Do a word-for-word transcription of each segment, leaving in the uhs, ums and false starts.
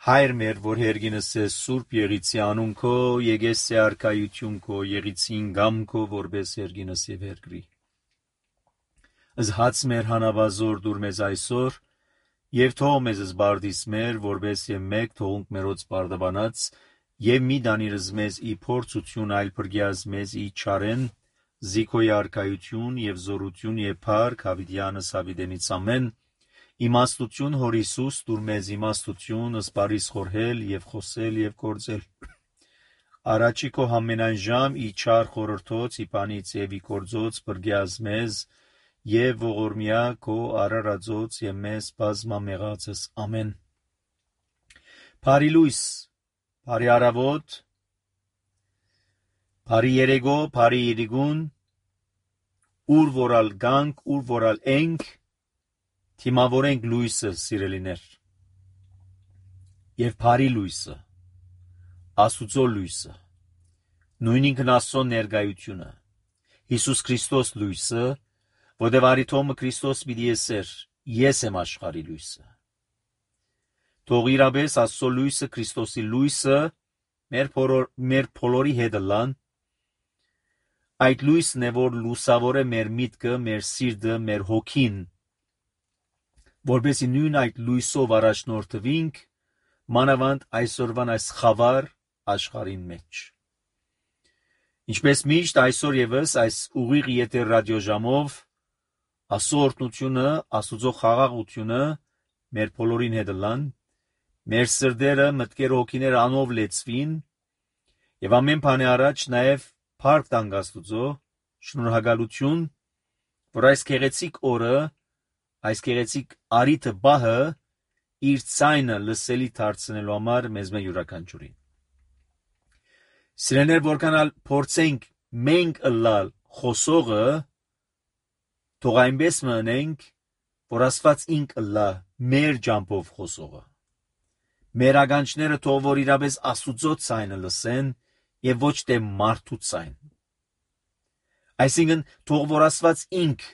Հայր մեր, որ հերգինս է սուրբ եղիցի անուն քո, եկես է արքայություն քո, եղիցին գամ քո, որպես հերգինս եւ հերգրի։ Զհաց մեր հանավազոր դուր մեզ այսօր, եւ թող մեզ զբարդիս մեր, որպես եւ մեկ թողունք մերոց բարդաբանած, եւ մի դանիրս մեզ ի փորձություն այլ բրգյազ մեզ ի չարեն, զիքոյ արքայություն եւ զորություն եւ փառք հավիտյանս հավիտենից ամեն, իմաստություն հոր Հիսուս դուր մեզ իմաստություն, ըսպարիս խորհել եւ խոսել եւ գործել։ Առաջի քո համենայն ժամ ի չար խորհրդոց, ի բանից եւ ի գործոց բրգյազ մեզ, եւ ողորմյա քո արարածոց եւ մեզ բազմամեղածս ամեն։ Բարի լույս, բարի առավոտ, բարի երեգո, բարի իրիգուն, ուր որալ գանք, ուր որալ ենք, թիմավորենք լույսը, սիրելիներ, եւ բարի լույսը, Աստուծո լույսը, նույն ինքն Աստծո ներկայությունը, Հիսուս Քրիստոս լույսը, որտեղ արիթոմը Քրիստոս պիտի եսեր, ես եմ աշխարհի լույսը։ Թող իրապես Աստծո լույսը, Քրիստոսի լույսը, մեր փորոր, մեր փոլորի հետ լան, այդ լույսն է, որ լուսավոր է մեր միտքը, մեր սիրտը, մեր հոգին, որպեսզի նույն այդ լույսով առաջնորդվենք, մանավանդ այսօրվան այս խավար աշխարհին մեջ։ Ինչպես միշտ այսօր եւս այս ուղիղ եթեր ռադիոժամով Աստծո օրհնությունը, Աստուծո խաղաղությունը մեր բոլորին հետ լան, մեր սրտերը, մտքերը, հոգիները անով լեցվին, եւ ամեն բանի առաջ նաեւ փառք տանք Աստուծո, շնորհակալություն, որ այս գեղեցիկ օրը, այս գեղեցիկ արիթը բահը իր ցայնը լսելի դարձնելու համար մեզ մե յուրաքանչյուրին։ Սիրելիներ, որքանալ փորձենք մենք ըլլալ խոսողը, թող այնպես մնենք, որ Աստված ինք ըլլա մեր ջամփով խոսողը։ Մեր ականջները թող որ իրապես Աստուծո ցայնը լսեն եւ ոչ թե մարդու ցայն։ Այսինքն թող որ Աստված ինք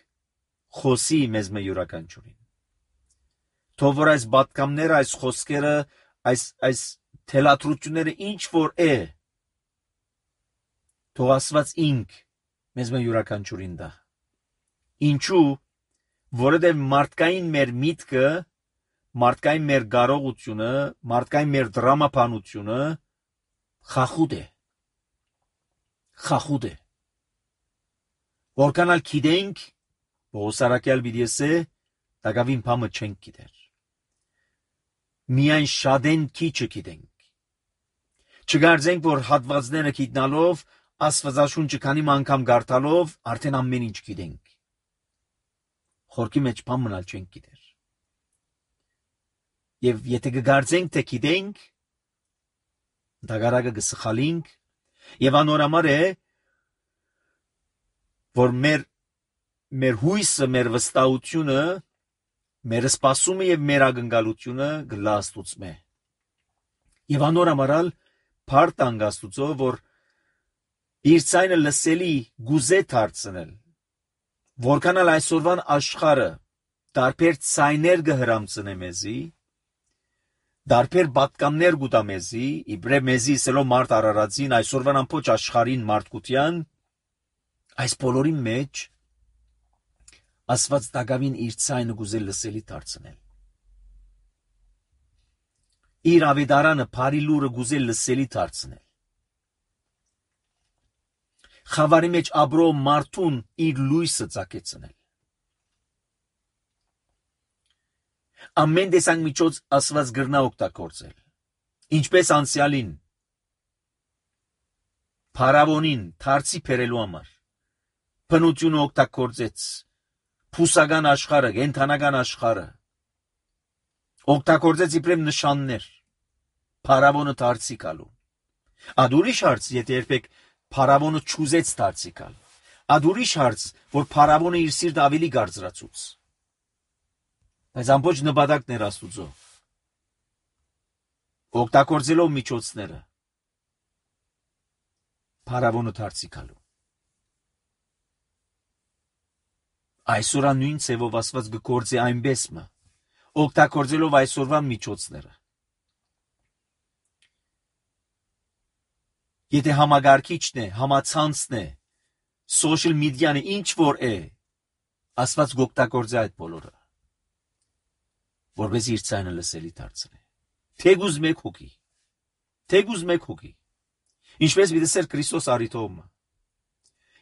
խոսի մեզ մե յուրաքանչյուրին։ Թող որ այս բատկամները, այս խոսքերը, այս այս թելադրությունները ինչ որ է, թող Աստված ինք մեզ մե յուրաքանչյուրին դա։ Ինչու, որովհետև մարդկային մեր միտքը, մարդկային մեր կարողությունը, մարդկային մեր դրամապանությունը խախուտ է։ Խախուտ է։ Որքանալ գիտենք, Պողոսարակյալ պիտի ասե, դակավին բամը չենք գիտեր։ Միայն շատեն քիչը գիտենք։ Չգարձենք, որ հատվածները գիտնալով, Աստվածաշունչը քանի անգամ կարդալով, արդեն ամեն ինչ գիտենք։ Խորքի մեջ բան մնալ չենք գիտեր։ Եվ եթե կգարձենք, թե գիտենք, դագարակը կսխալինք, եւ անորամար է, որ մեր մեր հույսը, մեր վստահությունը, մեր սպասումը եւ մեր ակնկալությունը գլա Աստուծմե։ Եվ անորամարալ փառք տանք Աստուծո, որ իր ցայնը լսելի գուզե դարձնել, որքանալ այսօրվան աշխարհը տարբեր ցայներ կհրամցնե մեզի, տարբեր պատկաններ կուտա մեզի, իբրե մեզի սելով մարդ արարածին, այսօրվան ամբողջ աշխարհին մարդկության, այս բոլորի մեջ Աստված դակավին իր ցայնը գուզել լսելի դարձնել։ Իր ավետարանը բարի լուրը գուզել լսելի դարձնել։ Խավարի մեջ ապրող մարդուն իր լույսը ծագեցնել։ Ամեն տեսակ միջոց Աստված գրնա օգտագործել։ Ինչպես անցյալին, փարավոնին դարձի բերելու համար, բնությունը օգտագործեց, փուսական աշխարհը, կենդանական աշխարհը, օգտագործեց իբրև նշաններ, փարավոնը դարձի գալու։ Ադուրիշ հարց, եթե երբեք փարավոնը չուզեց դարձի գալ, ադուրիշ հարց, որ փարավոնը իր սիրտը ավելի գարձրացուց։ Բայց ամբողջ նպատակն էր Աստուծո։ Օգտագործելով միջոցները, փարավոնը դարձի գալու։ Այսօր նույն ցևով Աստված գործի այնպես մը, օգտագործելով այսօրվա միջոցները։ Եթե համագարկիչն է, համացանցն է, social media-ն է, ինչ որ է, Աստված գօգտագործի այդ բոլորը, որպես իր ցայնը լսելի դարձնի։ Թեգուզ մեկ հոգի, թեգուզ մեկ հոգի, ինչպես վիդեսեր Քրիստոս արիթոմը։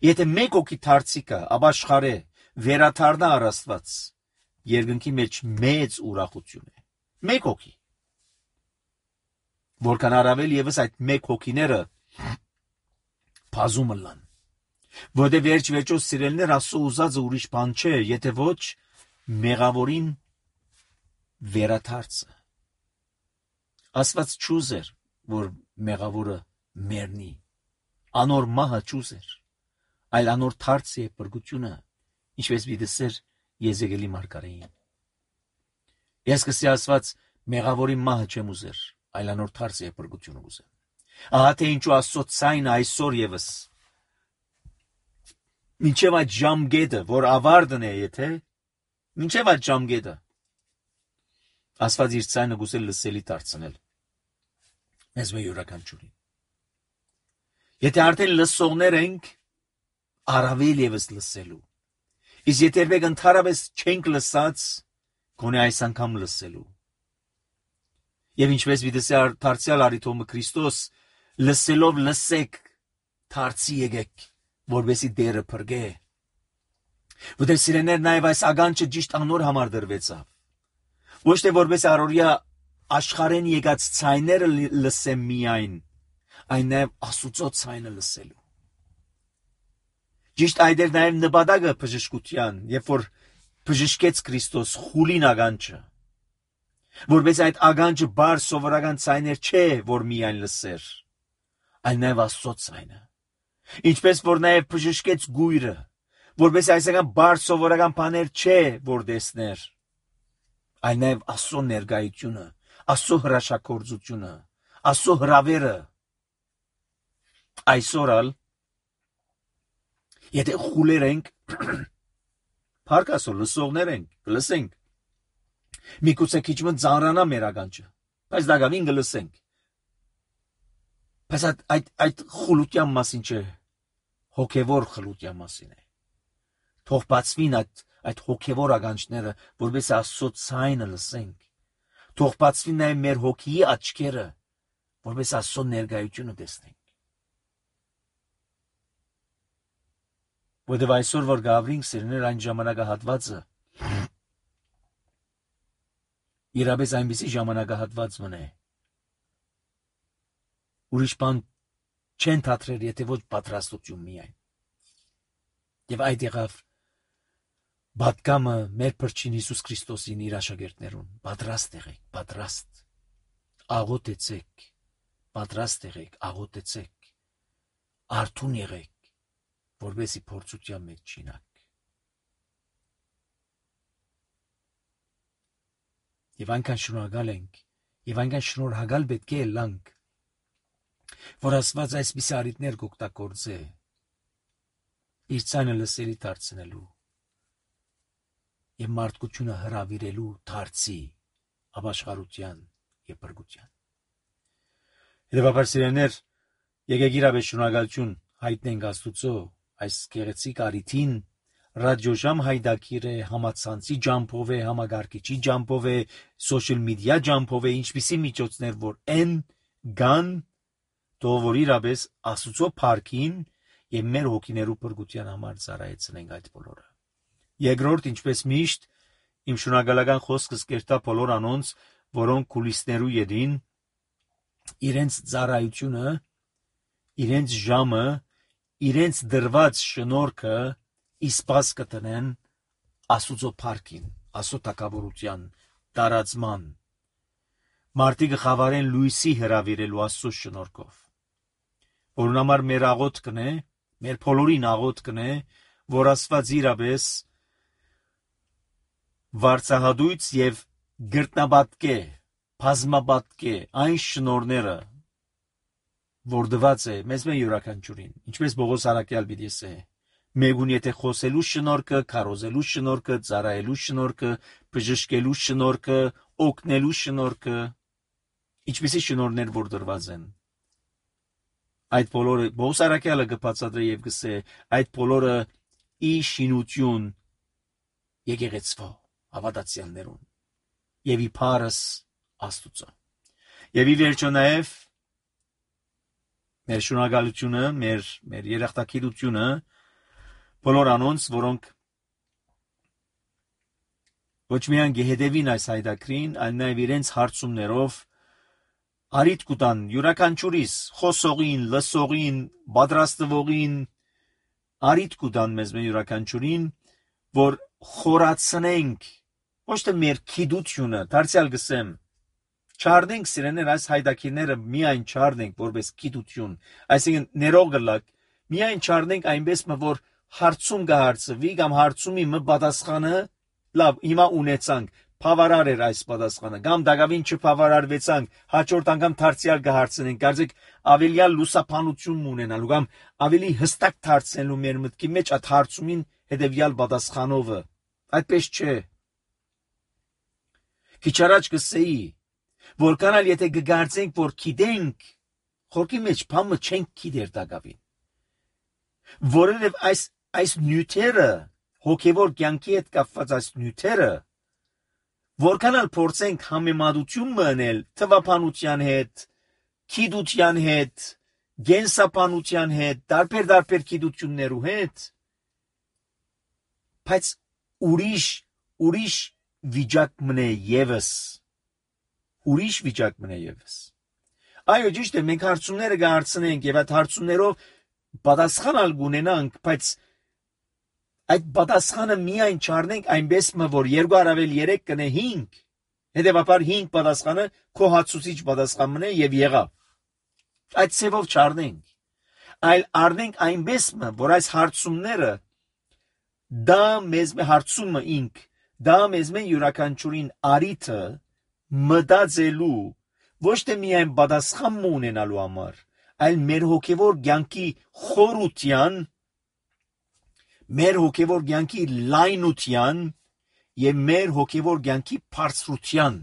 Եթե մեկ հոգի դարձիկա, ապաշխարե, վերաթարնա առ Աստված, երկնքի մեջ մեծ ուրախություն է։ Մեկ հոգի։ Որքան առավել եւս այդ մեկ հոգիները բազում լան։ Որտե վերջ վերջոց սիրելներ Աստծո ուզածը ուրիշ բան չէ, եթե ոչ մեղավորին վերաթարցը։ Աստված չուզեր, որ մեղավորը մեռնի։ Անոր մահը չուզեր, այլ անոր թարցի է բրգությունը, ինչպես վիդեսեր Եզեկիելի մարգարեին։ Ես կսի Աստված մեղավորի մահը չեմ ուզեր, այլ անոր թարցի է բրգությունը ուզեմ։ Ահա թե ինչու Աստծո ցայնը այսօր եւս մինչև այդ ժամկետը, որ ավարտն է, եթե մինչև այդ ժամկետը Աստված իր ցայնը գուցե լսելի դարձնել մեզ մեր յուրաքանչյուրին։ Եթե արդեն լսողներ ենք, առավել եւս լսելու։ Իսկ եթե մենք ընդհանրապես չենք լսած, գոնե այս անգամ լսելու։ Եվ ինչպես վիդեսի դարձյալ արիթոմը Քրիստոս լսելով լսեք, դարձի եկեք, որովհետեւ դերը փրկե։ Որտեղ սիրեներ նաև այս ագանչը ճիշտ անոր համար դրվեցավ։ Ոչ թե որպես առօրյա աշխարհեն եկած ցայները լսեմ միայն, այն նաև Աստծո ցայնը լսելու։ Ճիշտ այդ էր նաև նպատակը բժշկության, երբ որ բժշկեց Քրիստոս խուլին ագանչը, որպես այդ ագանչը բար սովորական ցայներ չէ, որ միայն լսեր, այլ նաև Աստծո ցայնը, ինչպես որ նաև բժշկեց գույրը, որպես այսական բար սովորական բաներ չէ, որ տեսներ, այլ նաև Աստծո ներկայությունը, Աստծո հրաշագործությունը, Աստծո հրավերը։ Այսօր ալ եթե խուլեր ենք, փառքասո լսողներ ենք, կլսենք։ Միգուցե քիչ մը ծանրանա մեր ագանչը, բայց դակավին կլսենք։ Բայց այդ այդ այդ խուլության մասին չէ, հոգևոր խլության մասին է։ Թող բացվին այդ այդ հոգևոր ագանչները, որպես Աստծո ցայնը լսենք։ Թող բացվին նաև մեր հոգիի աչքերը, որպես Աստծո ներկայությունը տեսնենք։ Որտեւ այսօր որ գավրինք սիրներ այն ժամանակահատվածը իրապես այնպիսի ժամանակահատված մնե։ Ուրիշ բան չեն թատրեր, եթե ոչ պատրաստություն միայն։ Եվ այդ եղավ բատկամը մեր փրկին Հիսուս Քրիստոսին իր աշակերտներուն։ Պատրաստ եղեք, պատրաստ։ Աղոթեցեք, պատրաստ եղեք, աղոթեցեք։ Արթուն եղեք, որովհետեւ փորձության մեջ չինակ։ Եվ այնքան շնորհակալ ենք, եւ այնքան շնորհակալ պետք է լանք, որ Աստված այսպիսի արիտներ կօգտագործե իր ցայնը լսելի դարձնելու եւ մարդկությունը հրավիրելու դարձի ապաշխարության եւ բրգության։ Հետևաբար սիրելիներ, եկեք իրապես շնորհակալություն հայտնենք Աստուծո այս գեղեցիկ արիթին, ռադիոժամ հայդակիրը համացանցի ջամփով է, համագարկիչի ջամփով է, social media ջամփով է, ինչպիսի միջոցներ որ են գան, թող որ իրապես Աստուծո փառքին եւ մեր հոգիներու բրգության համար ծառայեցնենք այդ բոլորը։ Երկրորդ, ինչպես միշտ, իմ շնորհակալական խոսքս կերտա բոլոր անոնց, որոնք կուլիսներու յետին իրենց ծառայությունը, իրենց ժամը, իրենց դրված շնորհքը իսպաս կտնեն Աստուծո փառքին, Աստծո թագավորության տարածման։ Մարդիկ խավարեն լույսի հրավիրելու Աստծո շնորհքով։ Որուն համար մեր աղոթքն է, մեր բոլորին աղոթքն է, որ Աստված իրապես վարձահատույց եւ գրտնաբատկե, բազմաբատկե այն շնորհները, որ դված է մեզ մեր յուրաքանչյուրին, ինչպես Պողոս Արաքյալ պիտի ասե, մեգուն եթե խոսելու շնորհքը, քարոզելու շնորհքը, ծառայելու շնորհքը, բժշկելու շնորհքը, օգնելու շնորհքը, ինչպիսի շնորհներ որ դրված են, Այդ բոլորը Պողոս առաքյալը կբացատրի եւ կսե այդ բոլորը ի շինություն եկեղեցվո հավատացյալներուն եւ ի փարս Աստուծո եւ ի վերջո նաեւ մեր շնորհակալությունը մեր մեր երախտագիտությունը բոլոր անոնց որոնք ոչ միայն գեհդեվին այս հայդակրին այլ նաեւ իրենց հարցումներով արիտ կուտան յուրաքանչյուրիս խոսողին լսողին պատրաստվողին արիտ կուտան մեզ մեր յուրաքանչյուրին որ խորացնենք ոչ թե մեր քիդությունը դարձյալ գսեմ չարդենք սիրեներ այս հայդակիրները միայն չարդենք որպես քիդություն այսինքն ներող գլակ միայն չարդենք այնպես որ հարցում կհարցվի կամ հարցումի մը պատասխանը լավ հիմա ունեցանք բավարար էր այս պատասխանը կամ դակավին չբավարարվեցանք հաջորդ անգամ դարձյալ կհարցնենք կարծեք ավելյալ լուսապանություն ունենալու կամ ավելի հստակ դարձնելու մեր մտքի մեջ այդ հարցումին հետևյալ պատասխանովը այդպես չէ քիչ առաջ կսեի որքան էլ եթե կգարձենք որ գիտենք խորքի մեջ բամը չենք գիտեր դակավին որովհետև այս այս նյութերը հոգևոր կյանքի հետ կապված այս նյութերը որքան էլ փորձենք համեմատություն մնել թվապանության հետ, քիդության հետ, գենսապանության հետ, տարբեր-տարբեր քիդություններու հետ, բայց ուրիշ ուրիշ վիճակ մնե եւս, ուրիշ վիճակ մնե եւս։ Այո, ճիշտ է, մենք հարցումները կհարցնենք եւ այդ հարցումներով պատասխան կունենանք, բայց այդ պատասխանը միայն չառնենք այնպես որ երկու առավել երեք կնե հինգ հետևաբար հինգ պատասխանը քո հացուցիչ պատասխան մնե եւ եղավ այդ ծևով չառնենք այլ առնենք այնպես որ այս հարցումները դա մեզ հարցումը ինք դա մեզ մեն յուրաքանչյուրին արիթը մտածելու ոչ թե միայն պատասխան ունենալու համար այլ մեր հոգևոր կյանքի խորության մեր հոգևոր կյանքի լայնության եւ մեր հոգևոր կյանքի բարձրության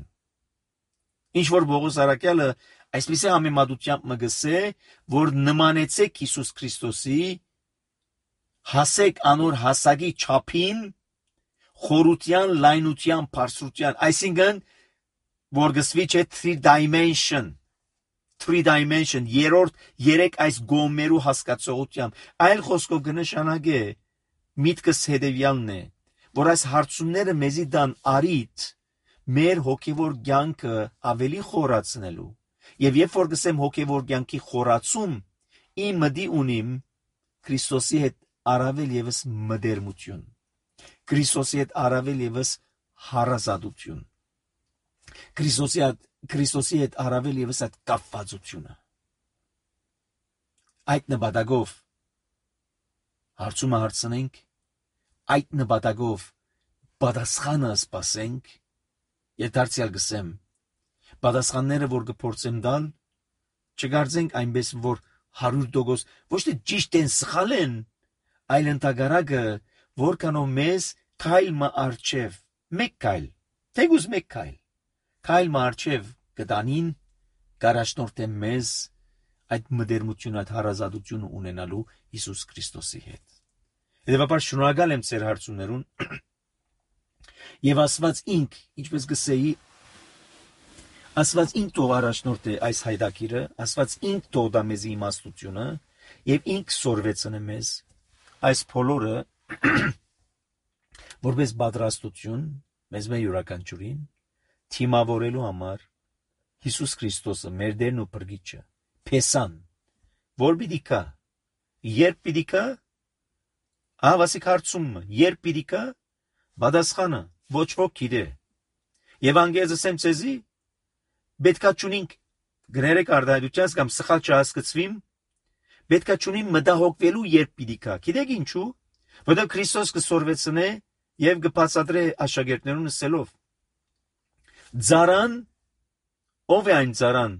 ինչ որ Պողոս առաքյալը այսպես է համեմատությամբ մգսե որ նմանեցեք Հիսուս Քրիստոսի հասեք անոր հասակի չափին խորության լայնության բարձրության այսինքն որ գսվի չէ three dimension three dimension երրորդ երեք այս գոմերու հասկացողությամբ այլ խոսքով կնշանակե միտքս հետևյալն է, որ այս հարցումները մեզի դան արիտ մեր հոգևոր կյանքը ավելի խորացնելու եւ երբ որ գսեմ հոգևոր կյանքի խորացում իմ մտի ունիմ Քրիստոսի հետ առավել եւս մդերմություն Քրիստոսի հետ առավել եւս հարազատություն Քրիստոսի հետ Քրիստոսի հետ առավել եւս այդ կապվածությունը այդ նպատակով հարցումը հարցնենք այդ նպատակով պատասխանը սպասենք եւ դարձյալ գսեմ պատասխանները որ կփորձեմ տալ չգարձենք այնպես որ հարյուր տոկոս ոչ թե ճիշտ են սխալ են այլ ընդհանրակը որքանով մեզ քայլ մը արչև մեկ քայլ թեգուզ մեկ քայլ քայլ մը արչև կտանին կարաշնորհ մեզ այդ մդերմությունը այդ հարազատությունը ունենալու Հիսուս Քրիստոսի հետ Հետևաբար շնորհակալ եմ ձեր հարցումներուն եւ Աստված ինք, ինչպես գսեի, Աստված ինք թող առաջնորդ է այս հայդակիրը, Աստված ինք թող դա մեզ իմաստությունը եւ ինք սորվեցնե մեզ այս բոլորը որպես պատրաստություն մեզ մեր յուրաքանչյուրին թիմավորելու համար Հիսուս Քրիստոսը մեր դերն ու փրկիչը փեսան որ պիտի կա երբ պիտի կա Ահավասիկ հարցումը, երբ պիտի կա, պատասխանը ոչ ոք գիտե։ Եվ անգեզ ասեմ ցեզի, պետքա չունենք գրերեք արդարությունից կամ սխալ չհասկացվիմ, պետքա չունիմ մտահոգվելու երբ պիտի կա։ Գիտեք ինչու։ Որտեղ Քրիստոս կսորվեցնե եւ կբացատրե աշակերտներուն ասելով. Ձարան, ով է այն ձարան։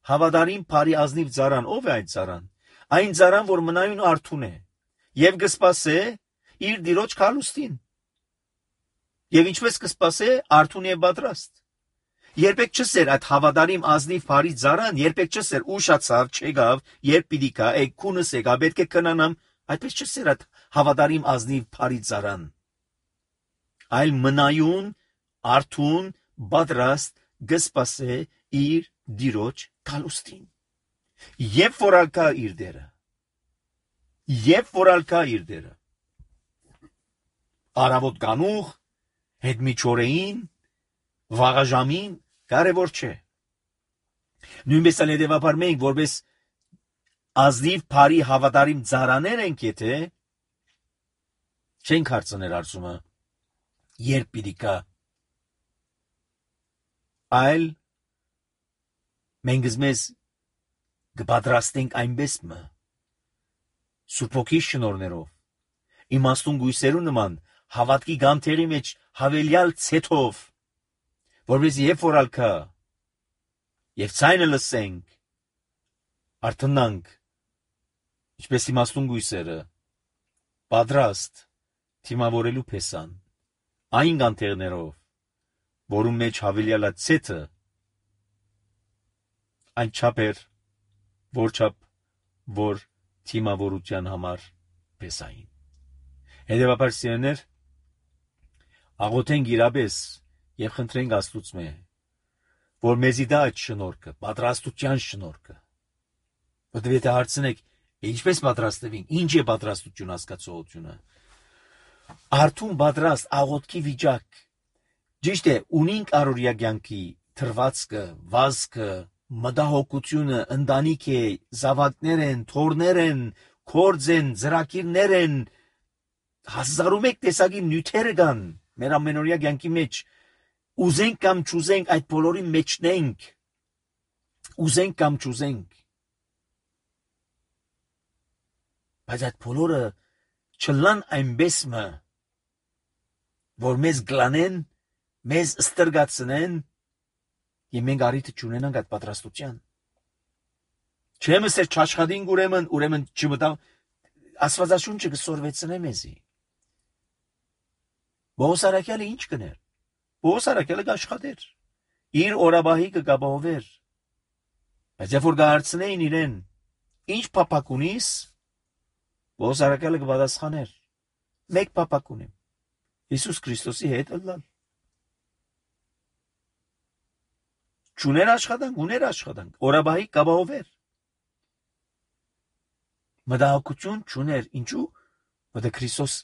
Հավատարիմ բարի ազնիվ ձարան, ով է այն ձարան։ Այն ձարան, որ մնայուն արթուն է։ Եվ կսպասե իր դիրոջ քալուստին։ Եվ ինչպես կսպասե արթուն եւ պատրաստ։ Երբեք չսեր այդ հավատարիմ ազնիվ բարի ծառան, երբեք չսեր ուշացավ, չեկավ, երբ պիտի գա, է քունս եկա, պետք է կնանամ, այդպես չսեր այդ հավատարիմ ազնիվ բարի ծառան։ Այլ մնայուն, արթուն, պատրաստ գսպասե իր դիրոջ գալուստին։ Եվ որ ալկա իր դերը։ Եվ որ ալկա իր դերը։ Արավոտ կանուխ, հետ միջօրեին, վաղաժամին, կարևոր չէ։ Նույնպես էլ հետևաբար մենք, որպես ազնիվ բարի հավատարիմ ծառաներ ենք, եթե չենք հարցնել հարցումը, երբ պիտի գա, այլ մենք մեզ կպատրաստենք այնպես մը, Սուրբ Հոգի շնորհներով, իմաստուն գույսերու նման, հավատքի գամթերի մեջ հավելյալ ցեթով, որպես երբ որ ալկա, եւ ցայնը լսենք, արթնանք, ինչպես իմաստուն գույսերը, պատրաստ թիմավորելու փեսան, այն գանթերներով, որում մեջ հավելյալա ցեթը, այն չափեր, որ չափ, որ թիմավորության համար փեսային։ Հետևաբար սիրելիներ, աղոթենք իրապես եւ խնդրենք Աստծուց մե, որ մեզի դա այդ շնորհքը, պատրաստության շնորհքը։ Որտեւ եթե հարցնեք, ինչպես պատրաստվին, ինչ է պատրաստություն հասկացողությունը, արթուն պատրաստ աղոթքի վիճակ, ճիշտ է, ունենք առօրյա կյանքի թրվածքը, վազքը, մտահոգությունը, ընտանիք է, զավակներ են, թորներ են, կորձ են, ծրագիրներ են, հազար ու մեկ տեսակի նյութերը կան մեր ամենօրյա կյանքի մեջ, ուզենք կամ չուզենք այդ բոլորի մեջնենք, ուզենք կամ չուզենք, բայց այդ բոլորը չլան այնպես մը, որ մեզ գլանեն, մեզ ստրգացնեն, եւ մենք առիթը չունենանք այդ պատրաստության։ Չեմ ասել չաշխատին ուրեմն, ուրեմն չմտա Աստվածաշունչը կսորվեցնե մեզի։ Պողոս առաքյալը ինչ կներ։ Պողոս առաքյալը կաշխատեր, իր օրաբահի կգաբահովեր, բայց երբ որ կհարցնեին իրեն, ինչ փափակ ունիս, Պողոս առաքյալը կպատասխաներ, մեկ փափակ ունեմ, Հիսուս Քրիստոսի հետ ըլլալ։ Չուներ աշխատանք, ուներ աշխատանք, օրաբահի կգաբահովեր։ Մտահոգություն չուներ, ինչու՞, որտեղ Քրիստոս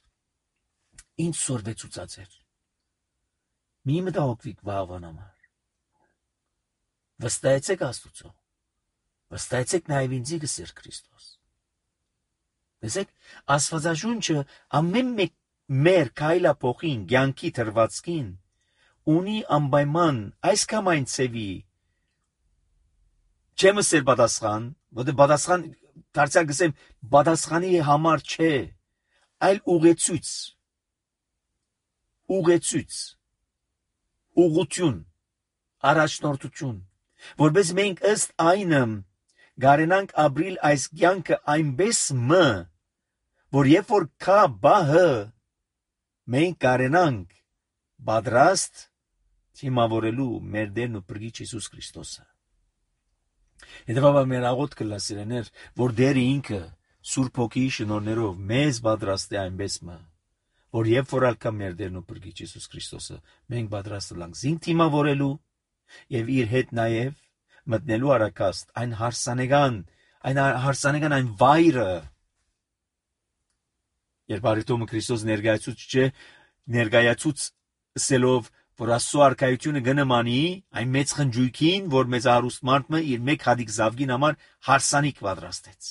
ինչ սորվեցուցած էր։ Մի մտահոգվիկ վաղվան համար։ Վստահեցեք Աստուծո, վստահեցեք նաև ինձի գսեր Քրիստոս։ Տեսեք, Աստվածաշունչը ամեն մեկ մեր քայլափոխին, կյանքի թրվածքին ունի անպայման այս կամ այն ցևի չեմ ասել պատասխան, որտեղ պատասխան դարձյալ գսեմ պատասխանի համար չէ, այլ ուղեցույց, ուղեցույց, ուղղություն, առաջնորդություն, որպես մենք ըստ այնը գարենանք ապրիլ այս կյանքը այնպես մը, որ երբ որ կա բահը, մենք գարենանք պատրաստ թիմավորելու մեր Տերն ու Փրկիչ Հիսուս Քրիստոսը։ Հետևաբար մեր աղոթքը լսիրեներ, որ Տերը ինքը Սուրբ Հոգիի շնորհներով մեզ պատրաստ է այնպես մը, որ երբ որ ալկա մեր Տերն ու Փրկիչ Հիսուս Քրիստոսը, մենք պատրաստ ենք զինք թիմավորելու եւ իր հետ նաեւ մտնելու արակաստ այն հարսանեկան, այն հարսանեկան այն վայրը, երբ Արիտոմը Քրիստոս ներկայացուց չէ, ներկայացուց սելով, որ Աստծո արքայությունը գնմանի այն մեծ խնջույքին, որ մեծ հարուստ մարդը իր մեկ հատիկ զավգին համար հարսանիք պատրաստեց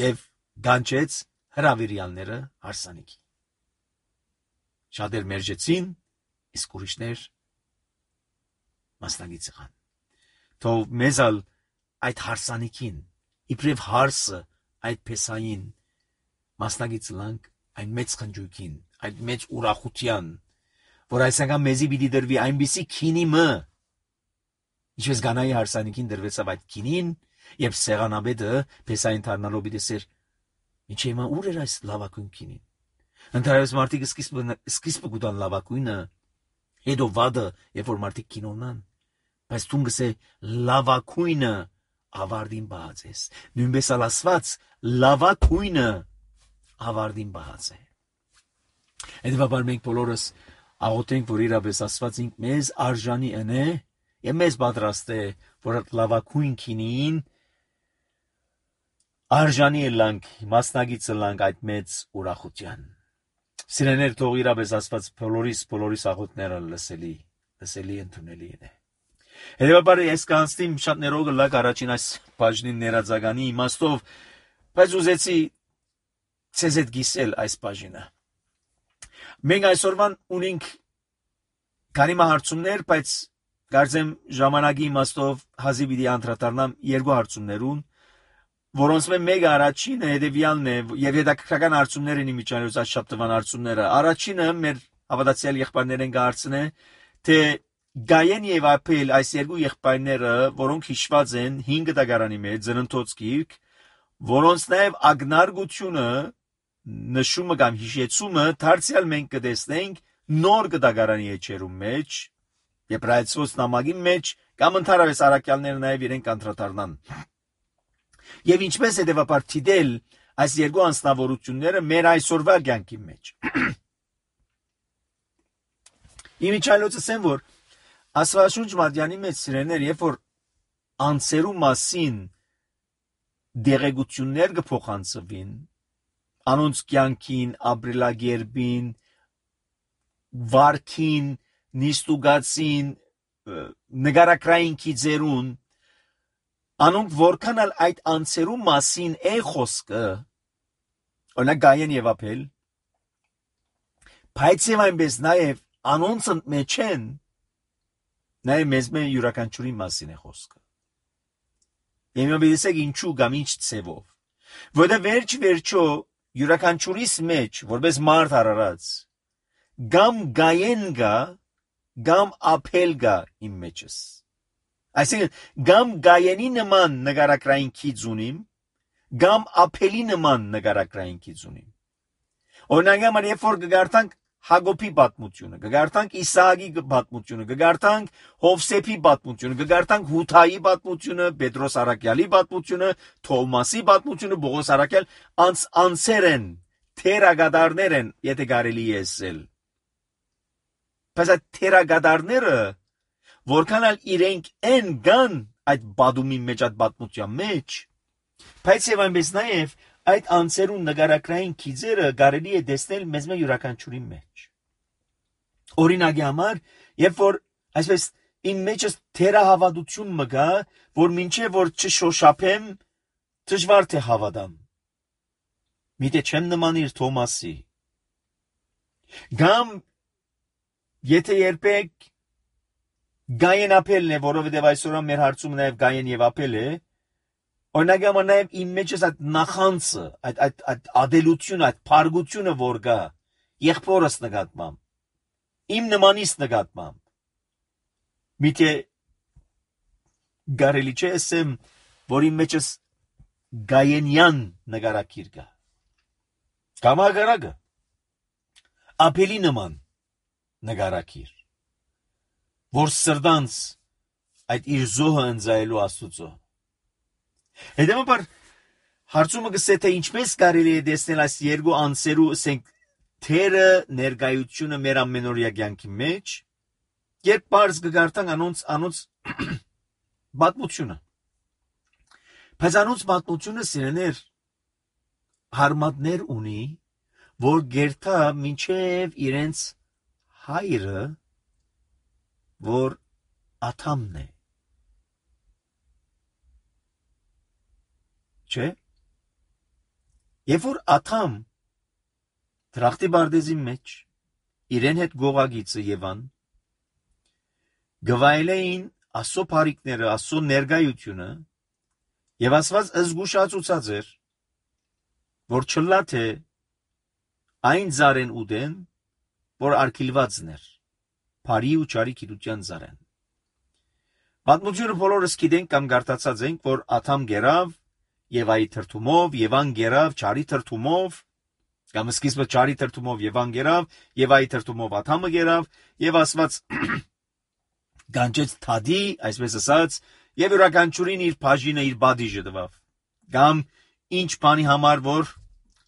եւ գանչեց հրավիրյալները հարսանիքի։ Շատեր մերժեցին, իսկ ուրիշներ մասնագից եղան։ Թող մեզ ալ այդ հարսանիքին, իբրև հարսը այդ փեսային մասնագից լանք այն մեծ խնջույքին, այդ մեծ ուրախության, որ այսինքն մեզի պիտի դրվի այնպիսի քինի մը, ինչպես Գանայի հարսանիքին դրվեցավ այդ քինին, եւ սեղանաբեդը փեսային դառնալով պիտի սեր, ինչ եմա ուր էր այս լավակույն քինին։ Ընդհանրապես մարդիկ սկիզբը սկիզբը գտան լավակույնը Հետո վադը, երբ որ մարդիկ կինոնան, բայց դու գսե լավակույնը ավարտին բահած ես։ Նույնպես ալ ասված լավակույնը ավարտին բահած է։ Հետևաբար մենք բոլորս աղոթենք, որ իրապես Աստված ինք մեզ արժանի ընե եւ մեզ պատրաստ է, որ լավակույն քինին արժանի լանք, մասնագիծը լանք այդ մեծ ուրախության։ Սիրեներ, թող իրապես Աստված բոլորիս բոլորիս աղոթները լսելի, լսելի ընդունելի է։ Հետևաբար ես կանցնիմ շատ ներողը լակ առաջին այս բաժնին ներածագանի իմաստով, բայց ուզեցի ցեզ հետ գիսել այս բաժինը։ Մենք այսօրվան ունենք քանի հարցումներ, բայց կարծեմ ժամանակի իմաստով հազիվ պիտի անդրադառնամ երկու հարցումներուն, որոնց մեկը առաջինը հետևյալն է, եւ հետաքրքրական հարցումներ են իմիջիայլոց այս շաբթվան հարցումները։ Առաջինը մեր հավատացյալ եղբայրներեն կհարցնե, թե Գայեն եւ Ապել այս երկու եղբայրները, որոնք հիշված են հինգ դագարանի մեջ ծննդոց գիրք, որոնց նաեւ ագնարգությունը նշումը կամ հիշեցումը դարձյալ մենք կտեսնենք նոր դագարանի էջերում մեջ, Եբրայեցոց նամակի մեջ կամ ընդհանրապես առաքյալները նաեւ իրեն կանտրատարնան։ Եվ ինչպես հետևաբար դիտել այս երկու անձնավորությունները մեր այսօրվա կյանքի մեջ։ Իմիջիայլոցս են, որ Աստվածաշունչ Մատյանի մեջ սիրեներ, երբ որ անձերու մասին դեղեցություններ կփոխանցվին, անոնց կյանքին, ապրելակերպին, վարքին, նիստուգացին, նգարակրային քիծերուն, անոնք որքան ալ այդ անձերու մասին է խոսքը, օրինակ Գայեն եւ Ապել, բայց եւ այնպես նաեւ անոնց մեջ են Նաեւ մեզ մե յուրաքանչյուրի մասին է խոսքը։ Եվ մտածեք ինչու կամ ինչ ցևով։ Որտեղ վերջ վերջո յուրաքանչյուրիս մեջ, որպես մարդ արարած, գամ Գայեն գա, գամ Ապել գա իմ մեջս։ Այսինքն, գամ Գայենի նման նկարակրային քիծ ունիմ, գամ Ապելի նման նկարակրային քիծ ունիմ։ Օրինակ, համար երբ որ կգարտանք Հակոբի պատմությունը, կգարտանք Իսահակի պատմությունը, կգարտանք Հովսեփի պատմությունը, կգարտանք Հութայի պատմությունը, Պետրոս առաքյալի պատմությունը, Թովմասի պատմությունը, Պողոս առաքյալ, անց անցեր են, թերագադարներ են, եթե կարելի է ասել։ Բայց այդ թերագադարները, որքան ալ իրենք են գան այդ բադումի մեջ, այդ պատմության մեջ, բայց եւ այնպես նաեւ այդ անձերուն նկարակրային քիծերը կարելի է տեսնել մեզ մե յուրաքանչյուրի մեջ։ Օրինակի համար, երբ որ այսպես իմ մեջս թերահավատություն մը գա, որ մինչև որ չշոշափեմ, դժվար թե հավատամ։ Միտե չեմ նմանիր Թոմասի։ Գամ եթե երբեք Գայեն Ապելն է, որովհետև այսօր մեր հարցումը նաև Գայեն եւ Ապել է, օրինակ համար նաև իմ մեջս այդ նախանցը, այդ այդ այդ ադելությունը, այդ փարգությունը որ գա, եղբորս նկատմամբ, իմ նմանից նկատմամբ, միտե գարելի չէ ասեմ, որ իմ մեջս Գայենյան նկարակիր գա, կամ ագարակը, Ապելի նման նկարակիր, որ սրտանց այդ իր զոհը ընձայելու Աստուծո։ Հետևաբար հարցումը գսե թե ինչպես կարելի է տեսնել այս երկու անձերու ասենք թերը ներկայությունը մեր ամենօրյա կյանքի մեջ, երբ բարձ կգարտանք անոնց անոնց պատմությունը։ Բայց անոնց պատմությունը սիրեներ հարմատներ ունի, որ գերտա մինչև իրենց հայրը, որ Աթամն է։ Չէ՞։ Երբ որ Աթամ դրախտի բարդեզի մեջ իրեն հետ գողագիծը Եվան գվայելեին Աստծո բարիքները, Աստծո ներկայությունը եւ Աստված զգուշացուցած էր, որ չլա թե այն զարեն ուդեն, որ արկիլվածն էր, բարի ու ճարի գիտության զարեն։ Պատմությունը բոլորս գիտենք կամ գարտացած ենք, որ Աթամ գերավ Եվայի թրթումով, Եվան գերավ ճարի թրթումով, Կամ սկիզբը ճարի թրթումով Եվան գերավ, Եվայի թրթումով Աթամը գերավ, եւ Աստված գանչեց թադի, այսպես ասած, եւ յուրաքանչյուրին իր բաժինը, իր բադիժը տվավ։ Կամ ինչ բանի համար, որ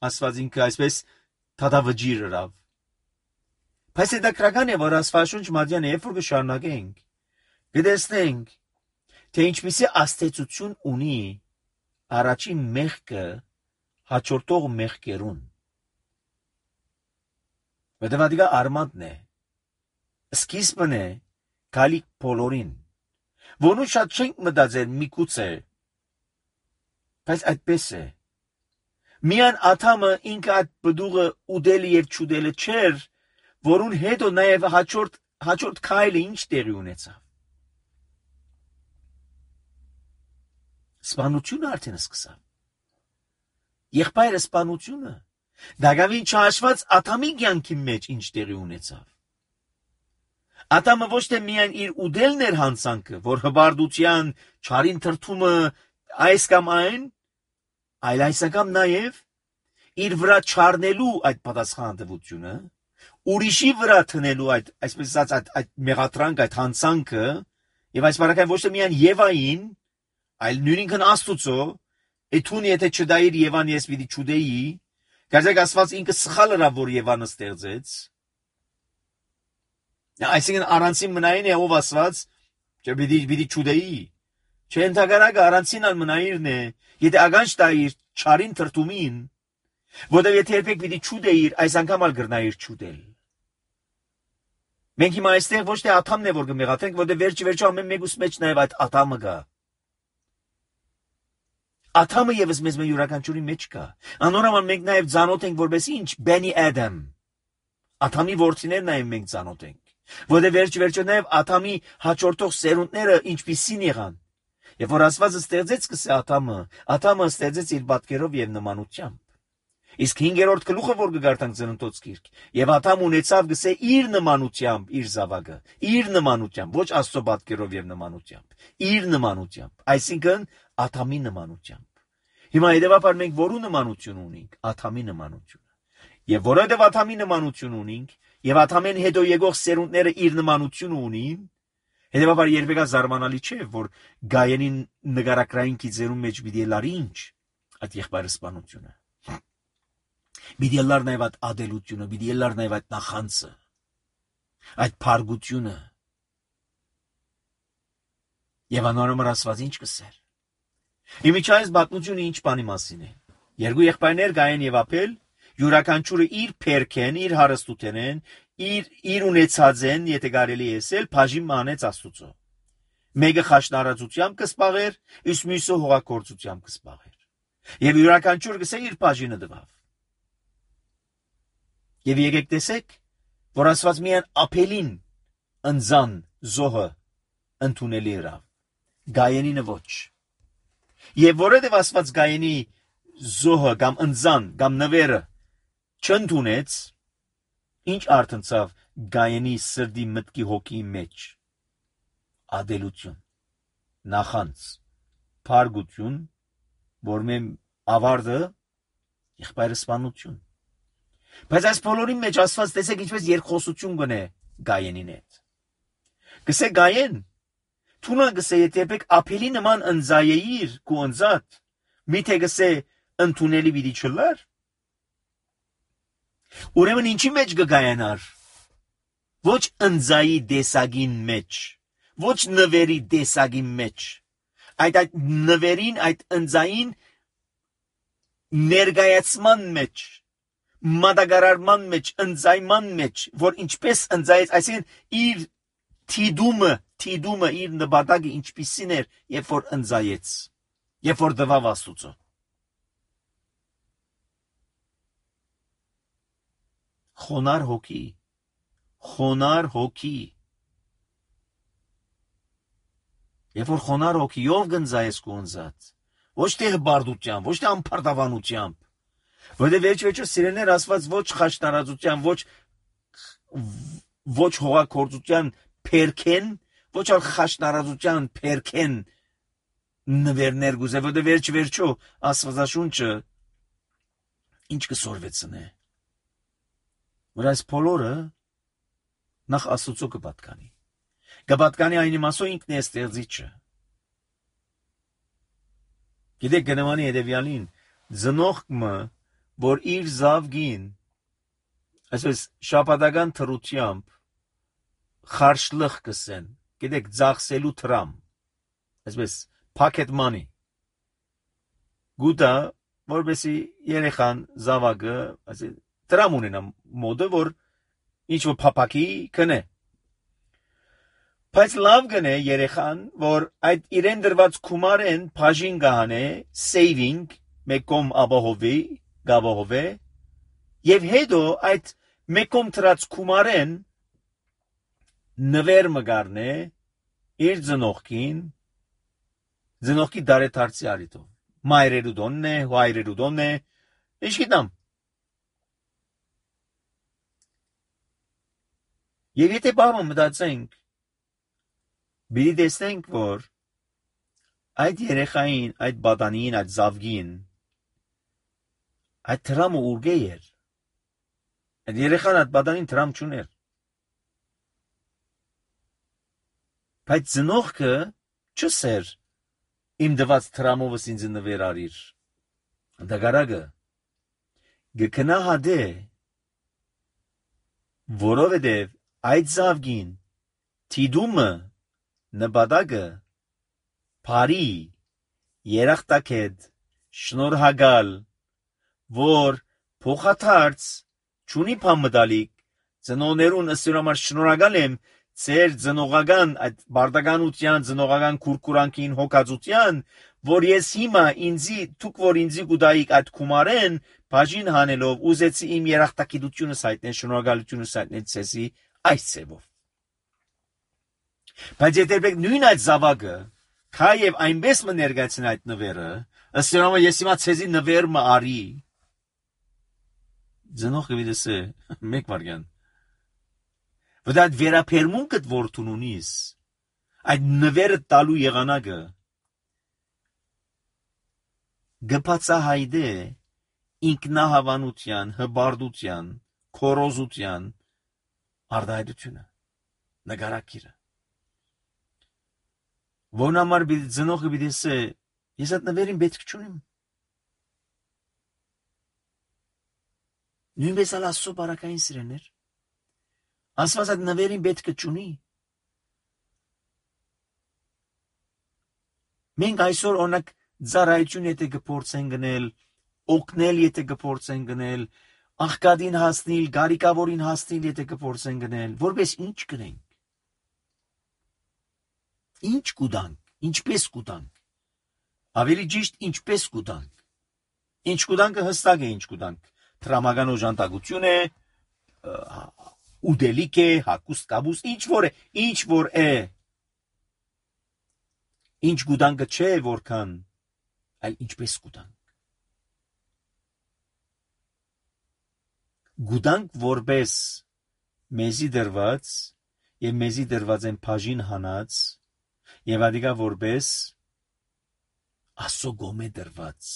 Աստված ինքը այսպես թադավճիր ըրավ։ Բայց դա քրական է, որ Աստվածաշունչ մատյան երբ որ կշարունակենք, կտեսնենք, թե ինչպիսի աստեցություն ունի առաջին մեղքը հաջորդող մեղքերուն։ Որտեղ դա արմատն է, սկիզբն է գալիք բոլորին, որոնց շատ չենք մտածել միգուցե, բայց այդպես է։ Միան Աթամը ինքը այդ բդուղը ուդելը եւ չուդելը չէր, որուն հետո նաեւ հաջորդ հաջորդ քայլը ինչ տեղի ունեցավ։ Սպանությունը արդեն սկսավ։ Եղբայրը սպանությունը դակավին չհաշված Աթամի կյանքի մեջ ինչ տեղի ունեցավ։ Աթամը ոչ թե միայն իր ուդելն էր հանցանքը, որ հբարդության չարին թրթումը այս կամ այն, այլ այսակամ նաև իր վրա չառնելու այդ պատասխանատվությունը, ուրիշի վրա տնելու այդ, այսպես ասած, այդ, այդ մեղադրանք, այդ հանցանքը, եւ այս բարակային ոչ թե միայն Եվային, այլ նույնինքն Աստուծո, էթուն եթե չդայիր Եվան ես պիտի չուդեի, գազեք Աստված ինքը սխալ ըրավ, որ Եվանը ստեղծեց։ Այսինքն առանցին մնային է ով Աստված, չէ պիտի պիտի չուդեի։ Չէ ընդհանրակը առանցին ալ մնայիրն է, եթե ագանջ տայիր չարին թրթումին, որտեղ եթե երբեք պիտի չուդեիր, այս անգամ ալ գրնայիր չուդել։ Մենք հիմա այստեղ ոչ թե Աթամն է որ կմեղադրենք, որտեղ վերջի վերջո ամեն մեկուս մեջ նաև այդ Աթամը կա։ Աթամը եւս մեզ մեր յուրաքանչյուրի մեջ կա։ Անորոման մենք նաև ծանոթ ենք որպես ինչ, Բենի Ադամ։ Աթամի որդիներն նաև մենք ծանոթ ենք, որտեղ վերջի վերջո նաև Աթամի հաջորդող սերունդները ինչպիսին եղան։ Եվ որ Աստվածը ստեղծեց կսե Աթամը, Աթամը ստեղծեց իր պատկերով եւ նմանությամբ։ Իսկ հինգերորդ գլուխը որ կգարտանք Ծննդոց գիրք, եւ Աթամ ունեցավ գսե իր նմանությամբ իր զավակը, իր նմանությամբ, ոչ Աստծո պատկերով եւ նմանությամբ, իր նմանությամբ, այսինքն Աթամի նմանությամբ։ Հիմա հետեւաբար մենք որու նմանություն ունենք, Աթամի նմանությունը։ Եվ որովհետեւ Աթամի նմանություն ունենք, եւ Աթամեն հետո եկող սերունդները իր նմանությունը ունին, հետեւաբար երբեկա զարմանալի չէ, որ Գայենի նկարագրային գիծերում մեջ պիտի լար ինչ այդ եղբայրը սպանությունը։ Պիտի լար նաև այդ ադելությունը, պիտի լար նաև այդ նախանցը, այդ փարգությունը։ Եվ անորոմը Աստված ինչ կսեր։ Իմիջայինս պատմությունը ինչ բանի մասին է։ Երկու եղբայրներ Գայեն եւ Աբել, յուրաքանչյուրը իր փերքեն, իր հարստութենեն, իր իր ունեցածեն, եթե կարելի է ասել, բաժին մանեց Աստուծո։ Մեկը խաշնարածությամբ կսպաղեր, իսկ մյուսը հողագործությամբ կսպաղեր։ Եվ յուրաքանչյուր գսե իր բաժինը տվավ։ Եվ եկեք տեսեք, որ Աստված միայն Աբելին ընձան զոհը ընդունելի ըրավ, Գայենինը ոչ։ Եվ որովհետև Աստված Գայենի զոհը կամ ընձան կամ նվերը չընդունեց, ինչ արտնցավ Գայենի սրտի մտքի հոգի մեջ։ Ադելություն, նախանց, փարգություն, որ մեմ ավարտը եղբայրը սպանություն։ Բայց այս բոլորի մեջ Աստված տեսեք ինչպես երկխոսություն գնե Գայենին հետ։ Գսե Գայեն, թունա գսե եթե երբեք Աբելի նման ընձայեիր քու ընձատ, միթե գսե ընդունելի պիտի չլար։ Ուրեմն ինչի մեջ կգայանար։ Ոչ ընձայի դեսագին մեջ, ոչ նվերի դեսագին մեջ, այդ այդ նվերին, այդ ընձային ներգայացման մեջ, մատակարարման մեջ, ընձայման մեջ, որ ինչպես ընձայեց, այսինքն իր թիդումը, թիդումը իր նպատակը ինչպիսին էր, երբ որ ընձայեց, երբ որ տվավ Աստուծո։ Խոնար հոգի, խոնար հոգի։ Երբ որ խոնար հոգիով գնձայես քո ընձած, ոչ թե հբարդությամբ, ոչ թե ամփարտավանությամբ, որտեղ վերջ-վերջո սիրելիներ Աստված ոչ խաշնարածության, ոչ ոչ հողագործության փերքեն, ոչ ալ խաշնարածության փերքեն նվերներ գուզե, որտեղ վերջ-վերջո Աստվածաշունչը ինչ կսորվեցնե, որ այս բոլորը նախ Աստծո կպատկանի։ Կպատկանի այն իմաստով ինքն է ստեղծիչը։ Գիտեք գնամանի հետևյալին, ծնողքը, որ իր զավգին, այսպես շաբաթական թրությամբ խարշլխ կսեն, գիտեք ծախսելու թրամ, այսպես pocket money, գուտա, որպեսի երեխան զավակը, այսպես դրամ ունենա մոդը, որ ինչ-որ փապակի կնե։ Բայց լավ գնե երեխան, որ այդ իրեն դրված կումարեն բաժին գահանե, saving, մեկում ապահովի, գաբահովե, եւ հետո այդ մեկում դրած կումարեն նվեր մգարնե իր ծնողքին, ծնողքի դարեթարցի արիտով։ Մայրերու դոնն է, հայրերու դոնն է, ինչ գիտամ։ Եվ եթե բամը մտածենք, բիդի տեսնենք, որ այդ երեխային, այդ բադանին, այդ զավգին, այդ թրամը ուրգե էր, այդ երեխան այդ բադանին թրամ չուներ, բայց ծնողքը չսեր իմ դված թրամովս ինձ նվեր արիր, դագարագը գկնահադե, որովհետև այդ զավգին թիդումը նպատակը բարի երախտակետ շնորհակալ որ փոխադարձ ճունի փամդալիկ ծնողներուն ըստորամար շնորհակալ եմ ծեր ծնողական այդ բարդականության ծնողական կուրկուրանքին հոգածության որ ես հիմա ինձի դուք որ ինձի գուդայիկ այդ կումարեն բաժին հանելով ուզեցի իմ երախտակիտությունը հայտնել շնորհակալությունը հայտնել ցեսի այս ծևով բայց եթե նույն այդ զավակը քայև այնպես մը ներկայացնի այդ նվերը ըստորամար ես հիմա ցեզի նվեր մը արի Ձնողը վիդեսը մեկ վարգան Որ այդ վերապերմունքդ որ տունունիս այդ նվերը տալու եղանակը գպացահայդե ինքնահավանության, հբարդության, քորոզության արդայդությունը նկարակիրը Որնամար ծնողը վիդեսը ես այդ նվերին պետք չունիմ Նույնպես ալ Աստծո բարակային սիրեներ Աստված այդ նվերին պետք չունի Մենք այսօր օրինակ ծառայություն եթե կփորձեն գնել օգնել եթե կփորձեն գնել աղքատին հասնել գարիկավորին հասնել եթե կփորձեն գնել որպես ինչ կնենք Ինչ կուտանք ինչպես կուտանք ավելի ճիշտ ինչպես կուտանք Ինչ կուտանքը հստակ է ինչ կուտանք Տրամական օժանդակություն է, ուդելիք է, հակուստ կաբուս, ինչ որ է, ինչ որ է, ինչ գուտանքը չէ որքան, այլ ինչպես գուտանք։ Գուտանք որպես մեզի դրված և մեզի դրված են բաժին հանած և ադիկա որպես Աստծո գոմե դրված։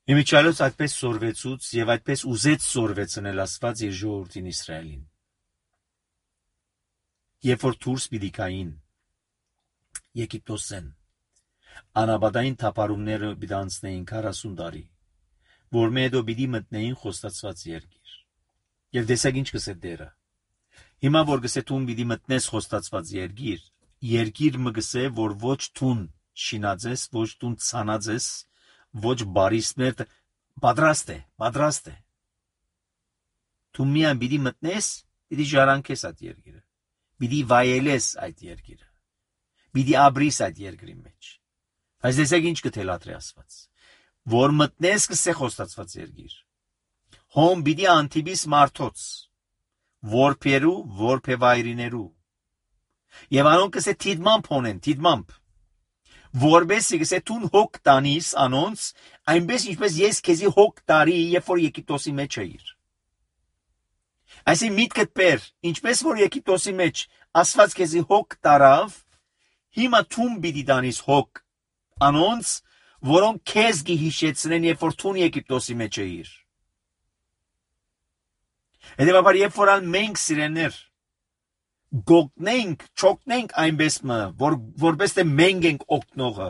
Իմիջալոց այդպես սորվեցուց և այդպես ուզեց սորվեցնել Աստված իր ժողովրդին Իսրայելին։ Երբ որ դուրս պիտի գային Եգիպտոսեն, անապատային թափառումները պիտի անցնեին քառասուն տարի, որ հետո պիտի մտնեին խոստացված երկիր։ Եվ տեսեք ինչ կսե Տերը։ Հիմա որ կսե դու պիտի մտնես խոստացված երկիր, երկիր մը կսե, որ ոչ դուն շինած ես, ոչ դուն ցանած ես, ոչ բարիսներ պատրաստ է, պատրաստ է։ Դու միայն պիտի մտնես, պիտի ժառանգես այդ երկիրը, պիտի վայելես այդ երկիրը, պիտի ապրիս այդ երկրի մեջ։ Բայց տեսեք ինչ կթելադրի Աստված, որ մտնես կսե խոստացված երկիր։ Հոմ պիտի անտիպիս մարդոց, որբերու, որբևայրիներու։ Եվ անոնք կսե թիդմամբ հոնեն, թիդմամբ։ Որբեսի կսե տուն հոգ տանիս անոնց, այնպես ինչպես ես քեզի հոգ տարի, երբ որ Եգիպտոսի մեջ էիր։ Այսինքն միտքդ բեր, ինչպես որ Եգիպտոսի մեջ Աստված քեզի հոգ տարավ, հիմա տուն պիտի տանիս հոգ անոնց, որոնք քեզ գիհիշեցնեն, երբ որ թուն Եգիպտոսի մեջ էիր։ Հետևաբար, երբ որ մենք սիրեներ գողնենք, չոքնենք այնպես մը, որ որպես թե մենք ենք օգնողը։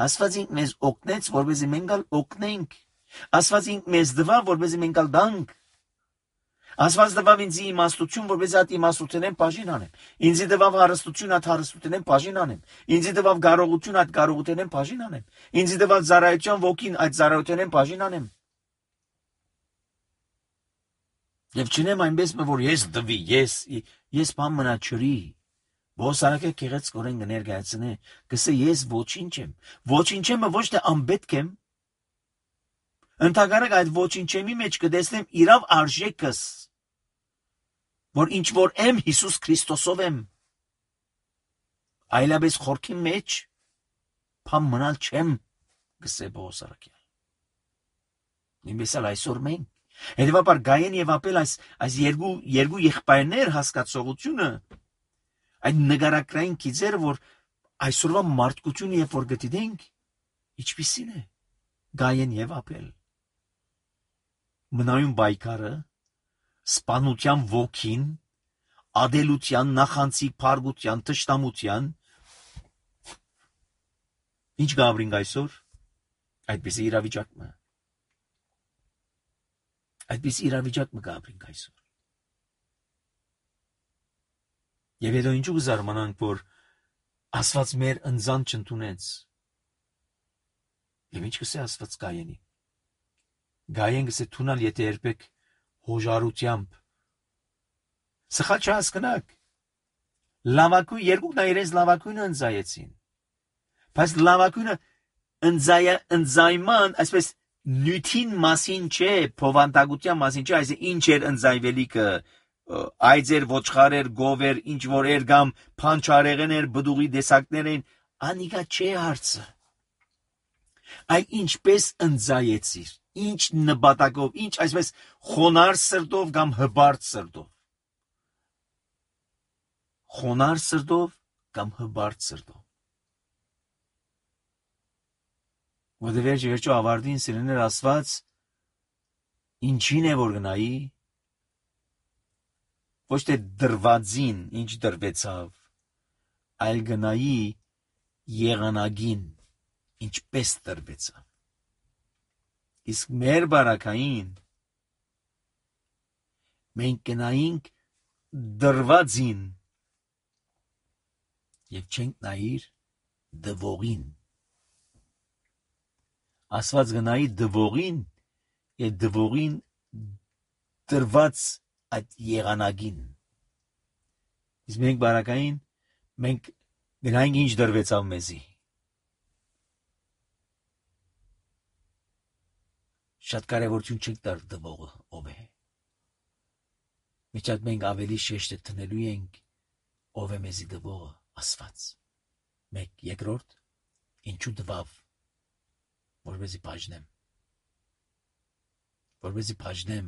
Աստված ինք մեզ օգնեց, որպեսզի մենք ալ օգնենք։ Աստված ինք մեզ դվավ, որպեսզի մենք ալ դանք։ Աստված դվավ ինձ իմաստություն, որպեսզի այդ իմաստությունեն բաժին անեմ։ Ինձ դվավ հարստություն, այդ հարստությունեն բաժին անեմ։ Ինձ դվավ կարողություն, այդ կարողությունեն բաժին անեմ։ Ինձ դվավ ծառայության ոգին, այդ ծառայությունեն բաժին անեմ։ Եվ չնեմ այնպես, որ ես դվի, ես ես բան մնա չրի։ Ոսարակը քեղեց կորեն կներկայացնե, կսե ես ոչինչ եմ։ Ոչինչ եմ, ոչ թե անպետք եմ։ Ընդհանրապես այդ ոչինչի մեջ կտեսնեմ իրավ արժեքս, որ ինչ որ եմ Հիսուս Քրիստոսով եմ։ Այլապես խորքի մեջ բան մնալ չեմ, կսե Ոսարակը։ Նույնպես էլ այսօր մենք Հետևաբար Գայեն եւ Ապել այս այս երկու երկու եղբայրներ հասկացողությունը այդ նկարագրային գիծերը, որ այսօրվա մարդկությունը երբ որ գտիդենք, ինչպիսին է Գայեն եւ Ապել։ Մնայուն բայկարը, սպանության ոգին, ադելության, նախանցիկ փարգության, թշնամության, ինչ գաբրինք այսօր, այդպես իրավիճակը Այդպես իրավիճակ մը գաբրինք այսօր։ Եվ հետո ինչու զարմանանք, որ Աստված մեր ընձան չընդունեց։ Եվ ինչ կսե Աստված Գայենի։ Գայեն կսե թունալ, եթե երբեք հոժարությամբ։ Սխալ չհասկնաք։ Լավակույն երկուքն այրենց լավակույնը ընձայեցին։ Բայց լավակույնը ընձայ ընձայման, այսպես նյութին մասին չէ, փովանդակության մասին չէ, այս ինչ էր ընձայվելիքը, այձեր, ոչխարեր, գովեր, ինչ որ էր կամ փանչարեղեներ, բդուղի դեսակներ են, անիկա չէ հարցը։ Այլ ինչպես ընձայեցիր, ինչ նպատակով, ինչ այսպես խոնար սրտով կամ հբարտ սրտով։ Խոնար սրտով կամ հբարտ սրտով։ Որտեղ վերջ վերջո ավարտին սիրեներ Աստված ինչին է որ գնայի, ոչ թե դրվածին, ինչ դրվեցավ, այլ գնայի եղանակին, ինչպես դրվեցավ։ Իսկ մեր բարակային մենք գնայինք դրվածին եւ չենք նայիր դվողին։ Աստված գնայի դվողին եւ դվողին դրված այդ եղանակին։ Իսկ մենք բարակային մենք գնայինք ինչ դրվեցավ մեզի։ Շատ կարևորություն չենք տար դվողը ով է։ Միջատ մենք ավելի շեշտ տնելու ենք ով է մեզի դվողը Աստված։ Մեկ երկրորդ ինչու դվավ որպեսզի բաժնեմ, որպեսզի բաժնեմ,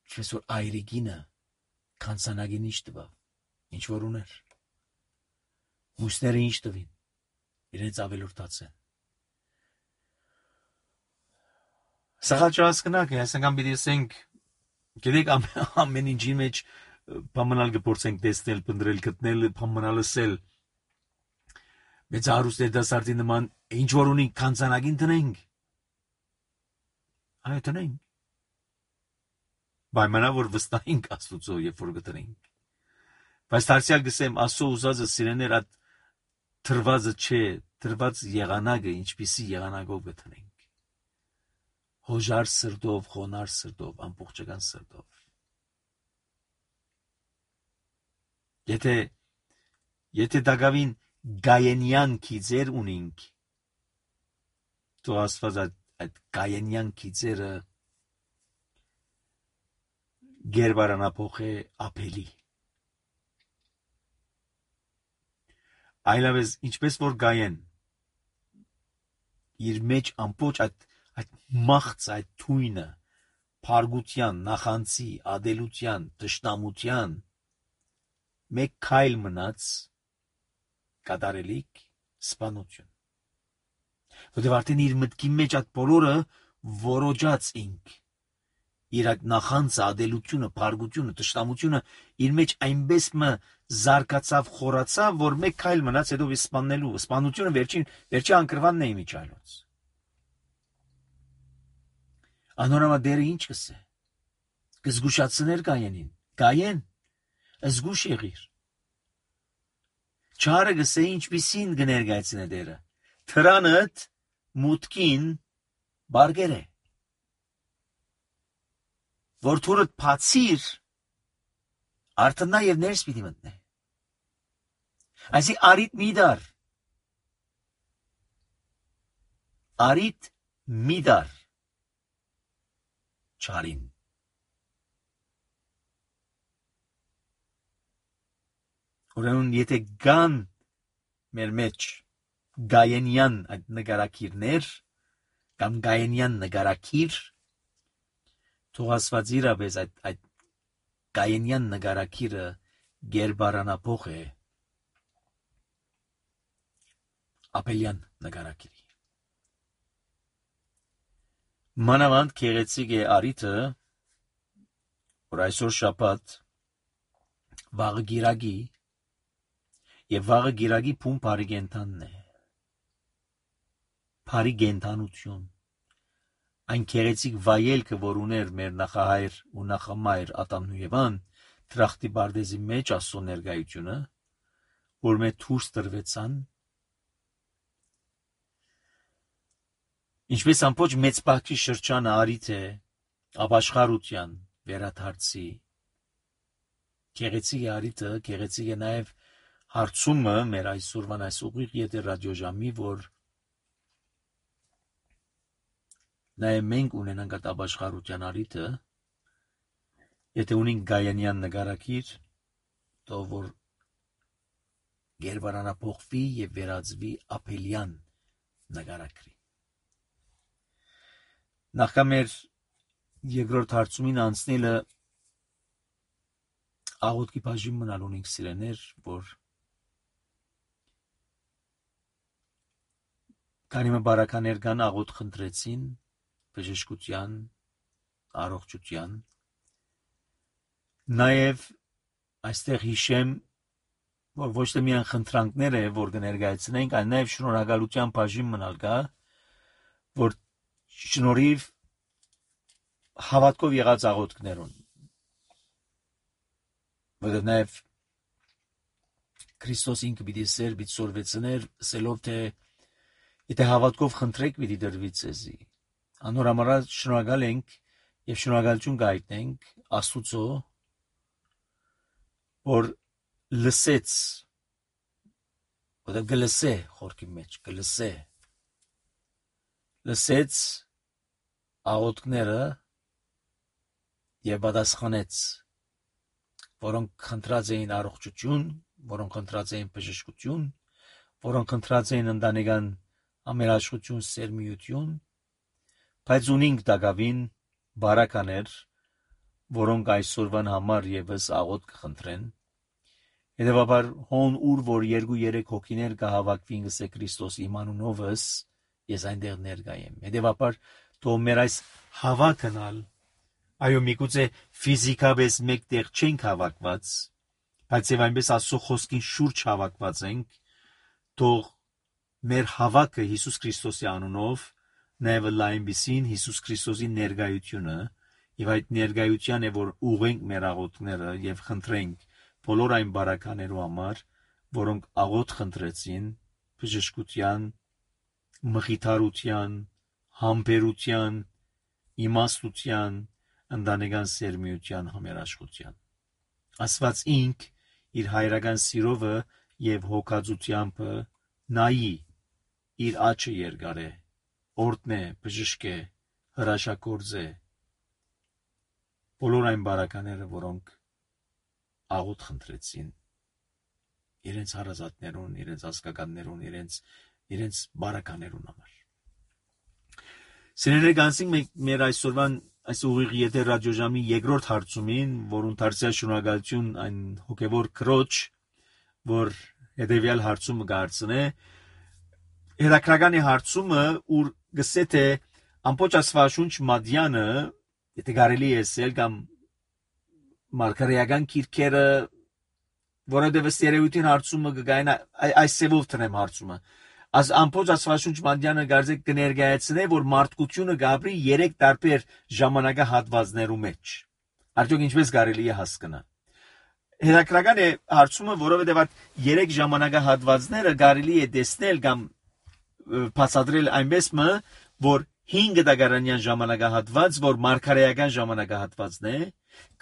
ինչպես որ այրիկինը կանցանագին ինչ տվավ, ինչ որ ուներ, մուսները ինչ տվին, իրենց ավելորդացեն։ Սաղալ չհասկնակ, այսինքն պիտի ասենք, գիտեք ամեն ինչի մեջ բամանալ կփորձենք տեսնել, փնտրել, գտնել, բամանալ ասել։ Մեծ հարուստ դասարտի նման ինչ որ ունի կանցանագին տնենք։ Այո տնենք։ Բայմանա որ վստահենք Աստուծո, երբ որ գտնենք։ Բայց դարձյալ գսեմ Աստծո ուզածը սիրեներ այդ թրվածը չէ, թրված եղանակը ինչպիսի եղանակով գտնենք։ Հոժար սրտով, խոնար սրտով, ամբողջական սրտով։ Եթե եթե դակավին Գայենյան քիծեր ունենք, թող Աստված այդ Գայենյան քիծերը գերբարանափոխե Ապելի։ Այլապես ինչպես որ Գայեն իր մեջ ամբողջ այդ այդ մաղց այդ թույնը փարգության, նախանցի, ադելության, տշնամության մեկ քայլ մնաց կատարելիք սպանություն։ Որտեղ արդեն իր մտքի մեջ այդ բոլորը որոջած ինք։ Իր այդ նախանձը, ադելությունը, փարգությունը, տշտամությունը իր մեջ այնպես մը զարգացավ, խորացավ, որ մեկ քայլ մնաց հետո սպաննելու։ Սպանությունը վերջին վերջի անկրվանն է իմիջալոց։ Անորամա դերը ինչ կսե։ Կզգուշացներ Գայենին։ Գայեն, զգուշ եղիր։ Չարը գսե ինչպիսին կներկայացնե դերը։ Թրանդ մուտքին բարգեր է։ Որ թուրդ բացիր, արդնա եւ ներս պիտի մտնե։ Այսի արիտ մի դար։ Արիտ մի դար։ Չարին։ Ուրեմն եթե գան մեր մեջ գայենյան այդ նկարակիրներ կամ գայենյան նկարակիր թող ասված իրապես այդ այդ գայենյան նկարակիրը գերբարանափոխ է ապելյան նկարակիրի։ Մանավանդ քեղեցիկ է արիթը, որ այսօր շաբաթ վաղը գիրագի եւ վաղը գիրագի փուն բարի գենթանն է։ Բարի գենթանություն։ Այն քեղեցիկ վայելքը, որ ուներ մեր նախահայր ու նախամայր Ադամն ու Եվան, Տրախտի Բարդեզի մեջ Աստծո ներկայությունը, որ մեր դուրս տրվեցան, ինչպես ամբողջ մեծ բակի շրջանը արիթ է ապաշխարության վերադարձի։ Քեղեցիկ է արիթը, քեղեցիկ է նաև հարցումը մեր այսօրվան այս ուղիղ եթեր ռադիոժամի, որ նաև մենք ունենանք այդ ապաշխարության արիթը, եթե ունենք գայանյան նկարակիր, թող որ գերբարանափոխվի եւ վերածվի ապելյան նկարակրի։ Նախքան մեր երկրորդ հարցումին անցնելը աղոթքի բաժին մնալ ունենք սիրեներ, որ Կանիմը բարականեր կան աղոթ խնդրեցին բժշկության, առողջության։ Նաև այստեղ հիշեմ, որ ոչ թե միայն խնդրանքներ է, որ կներկայացնենք, այլ նաև շնորհակալության բաժին մնալ կա, որ շնորհիվ հավատքով եղած աղոթքներուն։ Որովհետև նաև Քրիստոս ինքը պիտի սեր պիտի սորվեցներ, ասելով թե եթե հավատքով խնդրեք պիտի դրվի ձեզի։ Անորամարած շնորհակալ ենք եւ շնորհակալություն գայտնենք Աստուծո, որ լսեց, որը գլսե խորքի մեջ, գլսե, լսեց աղոթքները եւ պատասխանեց, որոնք խնդրած էին առողջություն, որոնք խնդրած էին բժշկություն, որոնք խնդրած էին ընտանեկան ամերաշխություն, սերմիություն, բայց ունինք դակավին բարականեր, որոնք այսօրվան համար եւս աղոթք կխնդրեն։ Հետևաբար հոն ուր որ երկու երեք հոգիներ կհավաքվին գսե Քրիստոս իմ անունովս, ես այնտեղ ներկա եմ։ Հետևաբար թող մեր այս հավաքնալ, այո, միգուցե ֆիզիկապես մեկտեղ չենք հավաքված, բայց եւ այնպես Աստծո խոսքին շուրջ հավաքված ենք, թող մեր հավաքը Հիսուս Քրիստոսի անունով նաև լայնբիսին Հիսուս Քրիստոսի ներկայությունը եւ այդ ներկայության է որ ուղենք մեր աղոթքները եւ խնդրենք բոլոր այն բարականերու համար, որոնք աղոթ խնդրեցին բժշկության, մխիթարության, համբերության, իմաստության, ընտանեկան սերմիության համերաշխության։ Աստված ինք իր հայրական սիրովը եւ հոգածությամբ նայի իր աչքը երկար է, օրհնե, բժշկե, հրաշագործե բոլոր այն բարակաները, որոնք աղոթ խնդրեցին իրենց հարազատներուն, իրենց ազգականներուն, իրենց իրենց բարականերուն համար։ Սիրելիներ, գանցինք մեր այսօրվան այս ուղիղ եթեր ռադիոժամի երկրորդ հարցումին, որուն դարձյալ շնորհակալություն այն հոգևոր քրոջ, որ հետևյալ հարցումը կհարցնե։ Հետաքրական է հարցումը, ուր գսե թե ամբողջ աստվածաշունչ մադյանը, եթե կարելի է ասել, կամ մարգարեական քիրքերը, որովհետև ըստ երևույթին հարցումը կգային այս սևով տնեմ հարցումը։ As ամբողջ աստվածաշունչ մադյանը գարձեք կներկայացնե, որ մարդկությունը գաբրի երեք տարբեր ժամանակահատվածներու մեջ։ Արդյոք ինչպես կարելի է հասկանալ։ Հետաքրական է հարցումը, որովհետև այդ երեք ժամանակահատվածները կարելի է տեսնել կամ բացատրել այնպես մը, որ հինգ դագարանյան ժամանակահատված, որ մարգարեական ժամանակահատվածն է,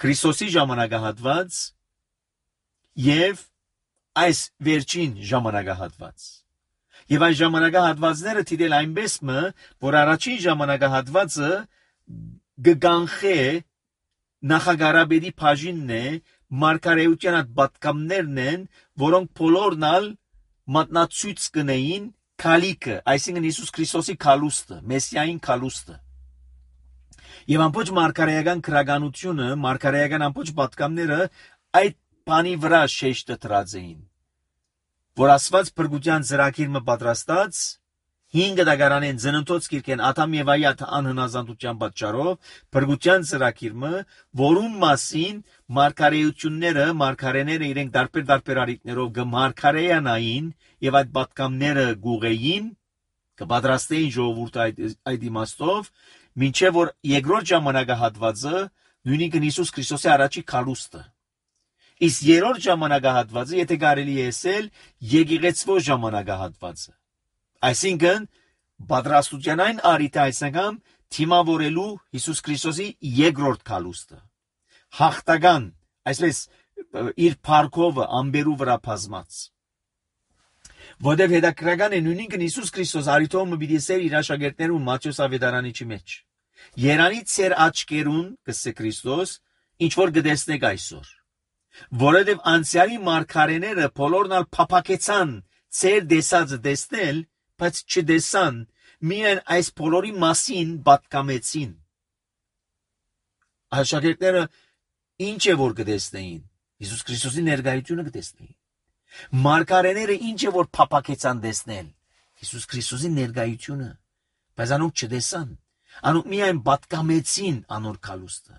Քրիստոսի ժամանակահատված եւ այս վերջին ժամանակահատված։ Եվ այս ժամանակահատվածները դիտել այնպես մը, որ առաջին ժամանակահատվածը գգանխե նախագարաբեդի բաժինն է, մարգարեության այդ պատկամներն են, որոնք բոլորնալ մատնացույց կնեին քալիքը, այսինքն Հիսուս Քրիստոսի քալուստը, մեսիային քալուստը։ Եվ ամբողջ մարգարեական քրագանությունը, մարգարեական ամբողջ պատկամները այդ բանի վրա շեշտը դրած էին, որ Աստված փրկության ծրագիրը պատրաստած հինգ դագարանեն ծննդոց կիրքեն Ադամ եւ Ավի անհնազանդության պատճառով փրկության ծրագիրը, որում մասին մարգարեությունները, մարգարեները իրենք դարբեր դարբեր արիտներով գմարգարեյանային եւ այդ պատկամները գուղեին, կպատրաստեին ժողովուրդը այդ այդ իմաստով, մինչեւ որ երկրորդ ժամանակահատվածը նույնիսկ Հիսուս Քրիստոսի առաջի քալուստը։ Իսկ երրորդ ժամանակահատվածը, եթե կարելի է ասել, եկեղեցվո ժամանակահատվածը։ Այսինքն պատրաստության այն արիթը այսինքն թիմավորելու Հիսուս Քրիստոսի երկրորդ քալուստը։ Հաղթական, այսպես իր փառքովը ամբերու վրա բազմած։ Որտև հետաքրական է նույնիսկ Հիսուս Քրիստոս արիթոմը պիտի ասեր իր աշակերտներուն Մատթեոս ավետարանիչի մեջ։ Երանից ծեր աչքերուն, կսե Քրիստոս, ինչ որ գտեսնեք այսօր։ Որովհետև անցյալի մարգարեները բոլորնալ փափակեցան ծեր դեսածը տեսնել, բայց չդեսան, միայն այս բոլորի մասին պատկամեցին։ Աշակերտները ինչ է որ կտեսնեին, Հիսուս Քրիստոսի ներկայությունը կտեսնեին։ Մարգարեները ինչ է որ փափակեցան տեսնել, Հիսուս Քրիստոսի ներկայությունը, բայց անոնք չտեսան, անոնք միայն պատկամեցին անոր քալուստը,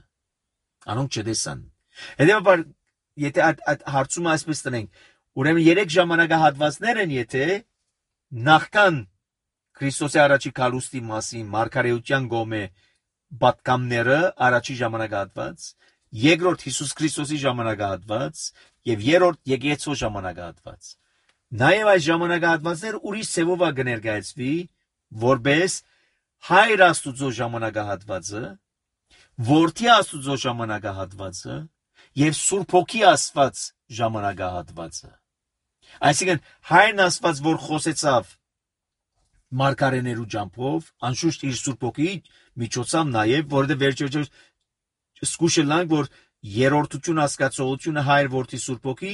անոնք չտեսան։ Հետևաբար եթե այդ հարցումը այսպես տնենք, ուրեմն երեք ժամանակահատվածներ են, եթե նախքան Քրիստոսի առաջի քալուստի մասին մարգարեության գոմե պատկամները առաջի ժամանակահատված, երկրորդ Հիսուս Քրիստոսի ժամանակահատված եւ երրորդ եկեղեցու ժամանակահատված։ Նաեւ այս ժամանակահատվածները ուրիշ ցևով կներկայացվի, որպես Հայր Աստուծո ժամանակահատվածը, Որդի Աստուծո ժամանակահատվածը եւ Սուրբ Հոգի Աստված ժամանակահատվածը։ Այսինքն Հայրն Աստված, որ խոսեցավ մարգարեներու ջամփով, անշուշտ իր Սուրբ Հոգի միջոցով նաեւ, որովհետեւ վերջերս զգուշելանք, որ երրորդություն հասկացողությունը Հայր Որդի Սուրբ Հոգի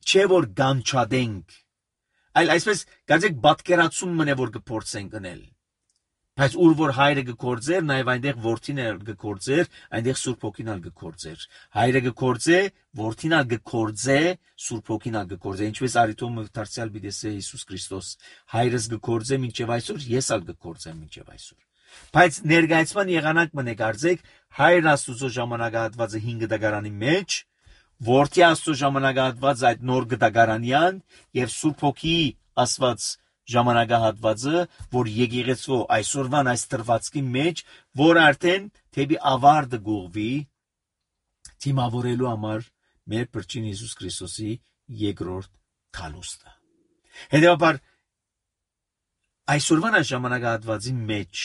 չէ որ գանչադենք, այլ այսպես գազեք բատկերացում մնե որ կփորձենք գնել։ Բայց ուր որ Հայրը կգործեր, նաև այնտեղ Որդին էլ կգործեր, այնտեղ Սուրբ Հոգին էլ կգործեր։ Հայրը կգործե, Որդին էլ կգործե, Սուրբ Հոգին էլ կգործե։ Ինչպես արիթոմը դարձյալ բիդեսե Հիսուս Քրիստոս, Հայրս կգործե մինչև այսօր, ես էլ կգործեմ մինչև այսօր։ Բայց ներկայացման եղանակ մնե կարծեք, Հայր Աստուծո ժամանակահատվածը հինգ դագարանի մեջ, Որդի Աստծո ժամանակահատվածը այդ նոր դագարանյան եւ Սուրբ Հոգի Աստված ժամանակահատվածը, որ եկեղեցու այսօրվան այս տրվածքի մեջ, որ արդեն թեպի ավարտը գուղվի, թիմավորելու համար մեր Փրկին Հիսուս Քրիստոսի երկրորդ քալուստը։ Հետևաբար այսօրվան այս ժամանակահատվածի մեջ,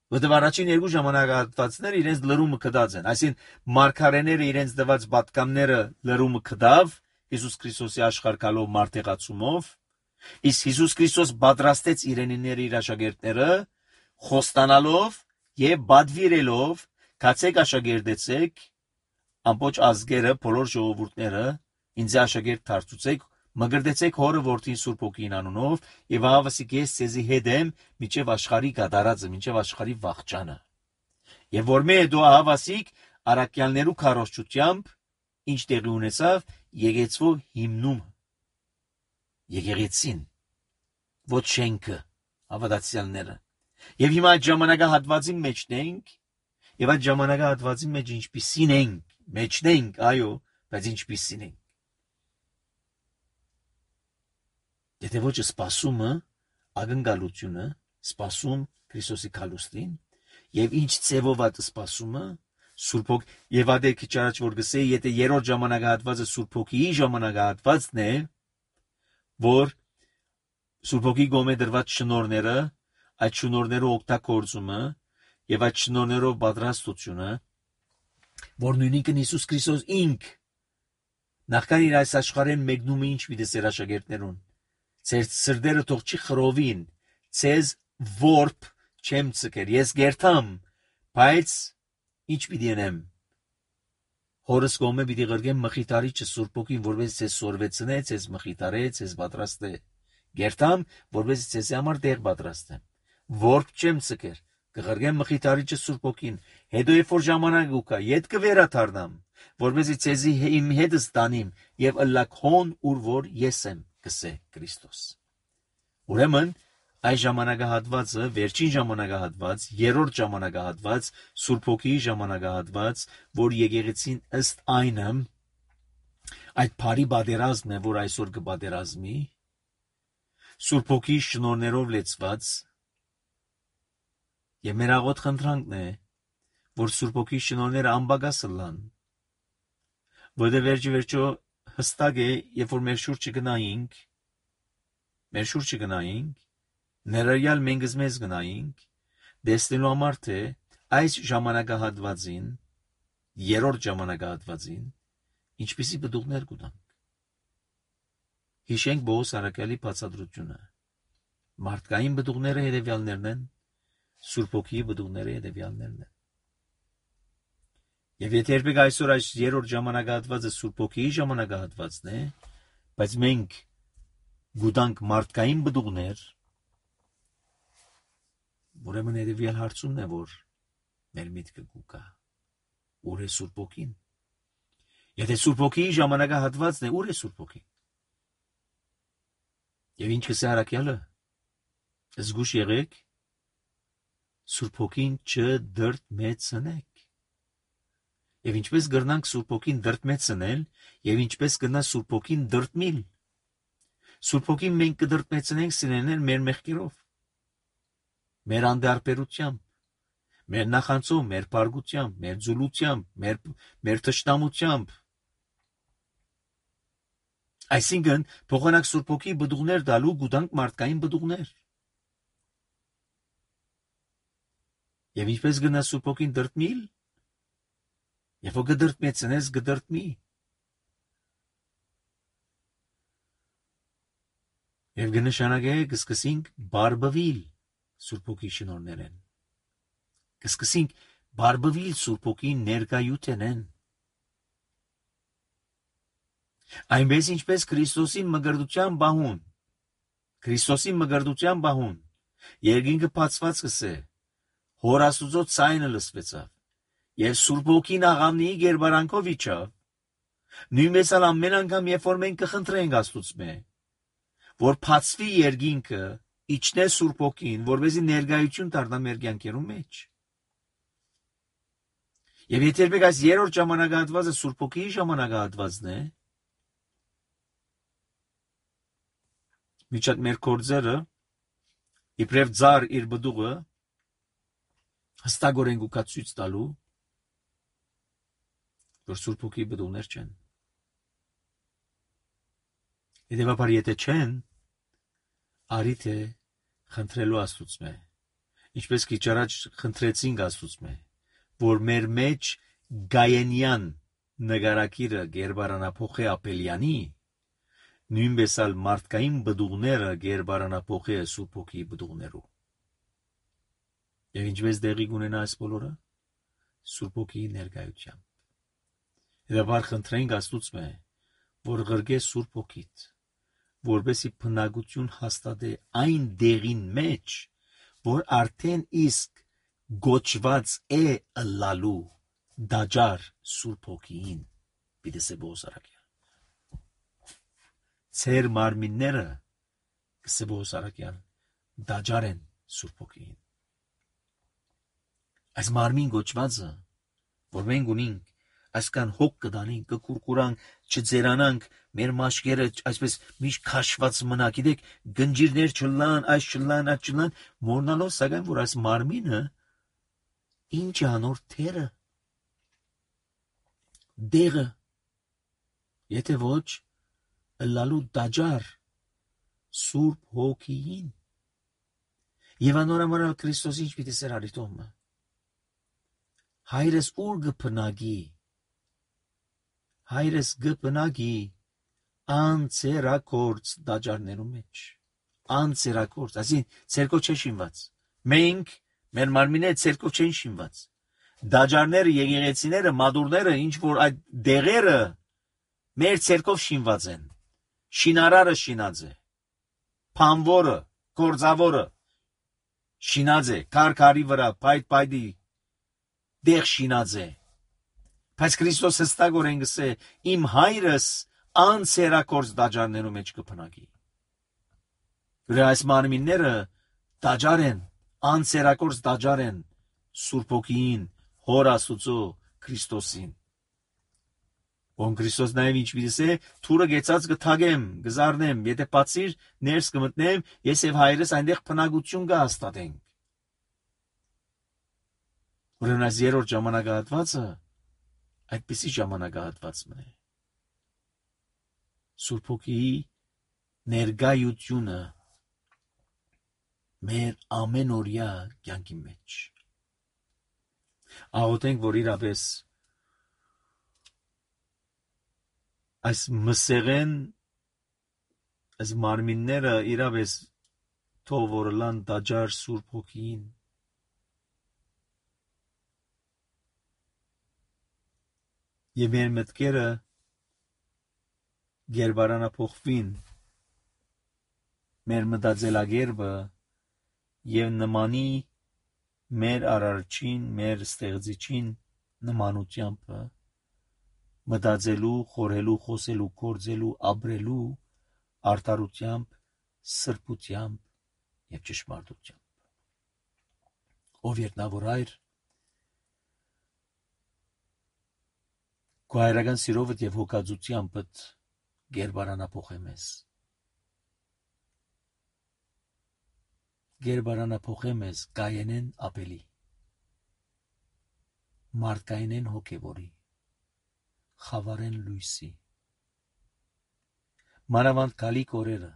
որտեղ առաջին երկու ժամանակահատվածները իրենց լրումը կդած են, այսինքն մարգարեները իրենց դված պատկամները լրումը կդավ Հիսուս Քրիստոսի աշխարհ գալով մարտեղացումով, իսկ Հիսուս Քրիստոս պատրաստեց իրենիները իր աշակերտները խոստանալով եւ բադվիրելով կացեք աշակերտեցեք ամբողջ ազգերը բոլոր ժողովուրդները ինձ աշակերտ դարձուցեք մգրտեցեք հորը որդին Սուրբ Հոգին անունով եւ ահավասիկ ես ցեզի հետ եմ միջև աշխարհի գդարածը միջև աշխարհի վաղճանը եւ որ մե դու ահավասիկ արաքյալներու քարոզչությամբ ինչ տեղի ունեցավ եկեցվո հիմնում եկեղեցին ոչ շենքը, հավատացյալները։ Եվ հիմա այդ ժամանակահատվածի մեջն ենք, եւ այդ ժամանակահատվածի մեջ ինչպիսին ենք, մեջն ենք, այո, բայց ինչպիսին ենք։ Եթե ոչ սպասումը, ակնկալությունը, սպասում Քրիստոսի քալուստին, եւ ինչ ծևով է սպասումը, Սուրբ Հոգի, եւ ադե քիչ առաջ որ գսեի, եթե երրորդ ժամանակահատվածը Սուրբ Հոգիի ժամանակահատվածն է, որ Սուրբ Հոգի գոմե դրված շնորհները, այդ շնորհները օգտագործումը եւ այդ շնորհներով պատրաստությունը, որ նույնիսկ Հիսուս Քրիստոս ինք նախքան իր այս աշխարհեն մեկնումը ինչ պիտի սեր աշակերտներուն, ձեր սրտերը թող չի խռովին, ցեզ որբ չեմ ցկեր, ես գերտամ, բայց ինչ պիտի անեմ, հորս կողմը պիտի գրգեմ մխիթարիչը Սուրբ Հոգին, որպես ձեզ սորվեցնե, ձեզ մխիթարե, ձեզ պատրաստե, գերտամ, որպես ձեզ համար տեղ պատրաստեմ, որբ չեմ ցկեր, կգրգեմ մխիթարիչը Սուրբ Հոգին, հետո երբ որ ժամանակ ուկա, ետ կվերաթարնամ, որպեսզի ցեզի իմ հետս տանիմ եւ ըլլակ հոն ուր որ ես եմ, կսե Քրիստոս։ Ուրեմն այս ժամանակահատվածը, վերջին ժամանակահատված, երրորդ ժամանակահատված, Սուրբ Հոգիի ժամանակահատված, որ եկեղեցին ըստ այնը այդ բարի պատերազմն է, որ այսօր կպատերազմի, Սուրբ Հոգիի շնորհներով լեցված, եւ մեր աղոտ խնդրանքն է, որ Սուրբ Հոգիի շնորհները անբագաս լան, որտեղ վերջի վերջո հստակ է, երբ որ մեր շուրջը գնայինք, մեր շուրջը գնայինք, ներառյալ մենք մեզ գնայինք, դեսնելու համար թե այս ժամանակահատվածին, երրորդ ժամանակահատվածին, ինչպիսի բդուղներ կուտանք։ Հիշենք Պողոս առաքյալի բացատրությունը։ Մարդկային բդուղները հետևյալներն են, Սուրբ Հոգիի բդուղները հետևյալներն են։ Եվ եթե երբեք այսօր այս երրորդ ժամանակահատվածը Սուրբ Հոգիի ժամանակահատվածն է, բայց մենք գուտանք մարդկային բդուղներ, ուրեմն հետևյալ հարցումն է, որ մեր միտքը կուկա, ուր է Սուրբ Հոգին։ Եթե Սուրբ Հոգիի ժամանակահատվածն է, ուր է Սուրբ Հոգին։ Եվ ինչ կսե առաքյալը, զգուշ եղեք, Սուրբ Հոգին չդրդմեցնեք։ Եվ ինչպես գրնանք Սուրբ Հոգին դրդմեցնել, եւ ինչպես կնա Սուրբ Հոգին դրդմիլ։ Սուրբ Հոգին մենք կդրդմեցնենք սիրելիներ մեր մեղքերով, մեր անդարբերությամբ, մեր նախանցով, մեր բարգությամբ, մեր ձուլությամբ, մեր, մեր թշնամությամբ։ Այսինքն, փոխանակ Սուրբ Հոգի բդուղներ դալու գուտանք մարդկային բդուղներ։ Եվ ինչպես գնա Սուրբ Հոգին դրդմիլ, եւ որ կդրդմեցնես կդրդմի։ Եվ կնշանակե կսկսենք բարբվիլ Սուրբ Հոգի շնորհներեն։ Կսկսենք բարբվիլ Սուրբ Հոգի ներկայութենեն։ Այնպես ինչպես Քրիստոսի մգրդության բահուն, Քրիստոսի մգրդության բահուն, երկինքը բացված կսե, Հոր Աստուծո ցայնը լսվեցավ, եւ Սուրբ Հոգին աղամնիի գերբարանքով իջավ, նույնպես ալ ամեն անգամ, երբ որ մենք կխնդրենք Աստուծմե, որ բացվի երկինքը, իջնե Սուրբ Հոգին, որպեսզի ներկայություն դառնա մեր կյանքերում մեջ։ Եվ եթե երբեք այս երրորդ ժամանակահատվածը Սուրբ Հոգիի ժամանակահատվածն է, միջատ մեր կորձերը, իբրև ձար իր բդուղը, հստակորեն գուկա ցույց տալու, որ Սուրբ Հոգիի բդուղներ չեն։ Հետևաբար եթե չեն, արի թե խնդրելու Աստուծմե, ինչպես քիչ առաջ խնդրեցինք Աստուծմե, որ մեր մեջ գաենյան նկարակիրը գերբարանափոխե ապելյանի, նույնպես ալ մարդկային բդուղները գերբարանափոխե Սուրբ Հոգիի բդուղներու։ Եվ ինչպես դեղի կունենա այս բոլորը, Սուրբ Հոգիի ներկայությամբ։ Հետաբար խնդրենք Աստուծմե, որ ղրգե Սուրբ Հոգիդ, որպեսի բնակություն հաստատե այն դեղին մեջ, որ արդեն իսկ գոչված է ըլլալու դաջար Սուրբ Հոգիին, պիտեսե Պողոս առաքյալ։ Ձեր մարմինները Կսեբոս Արաքյան, դաջար են Սուրբ Հոգին։ Այս մարմին գոչվածը, որ մենք ունենք, այսքան հոգ կդանենք, կկուրկուրանք, չձերանանք, մեր մաշկերը այսպես միշտ քաշված մնա, գիտեք, գնջիրներ չլան, այս չլան, այդ չլան, մորնալով սակայն, որ այս մարմինը ինչ է անոր թերը, դեղը, եթե ոչ, ըլլալու դաջար Սուրբ Հոգիին։ Եվ անորամարալ Քրիստոս ինչ պիտի սեր արիտոմը։ Հայրս ուր գպնագի, հայրս գպնագի անցերակորց դաջարներու մեջ, անցերակորց, այսին ցերկով չէ շինված, մենք, մեր մարմինը ցերկով չեն շինված, դաջարները, եկեղեցիները, մադուրները, ինչ որ այդ դեղերը մեր ցերկով շինված են, շինարարը շինած է, փանվորը, գործավորը շինած է, քարքարի վրա, պայդ պայդի դեղ շինած է, բայց Քրիստոս հստակորեն գսե իմ հայրս անցերակորց դաջարներու մեջ կփնագի։ Որ այս մարմինները դաջար են, անցերակորց դաջար են Սուրբ Հոգին, Հոր Աստուծո Քրիստոսին։ Ոնք Քրիստոս նաև ինչ պիտի թուրը գեցած կթագեմ, գզարնեմ, եթե բացիր ներս կմտնեմ, ես եւ հայրս այնտեղ փնագություն կհաստատենք։ Ուրեմն այս երրորդ ժամանակահատվածը այդպիսի ժամանակահատված մնե։ Սուրբ Հոգիի ներկայությունը մեր ամենօրյա կյանքի մեջ։ Աղոթենք, որ իրապես այս մսեղեն, այս մարմինները իրապես թող որ լան դաջար Սուրբ Հոգիին։ Եվ մեր մտքերը գերբարանափոխվին, մեր մտածելակերպը եւ նմանի մեր արարչին, մեր ստեղծիչին նմանությամբ մտածելու, խորհելու, խոսելու, գործելու, ապրելու արդարությամբ, սրբությամբ եւ ճշմարտությամբ։ Ով երտնավոր Հայր, քո հայրական սիրովդ եւ հոգածությամբ գերբարանափոխե մեզ։ Գերբարանափոխե մեզ կայենեն ապելի, մարդկայինեն հոգևորի, խավարեն լույսի։ Մանավանդ գալիք օրերը,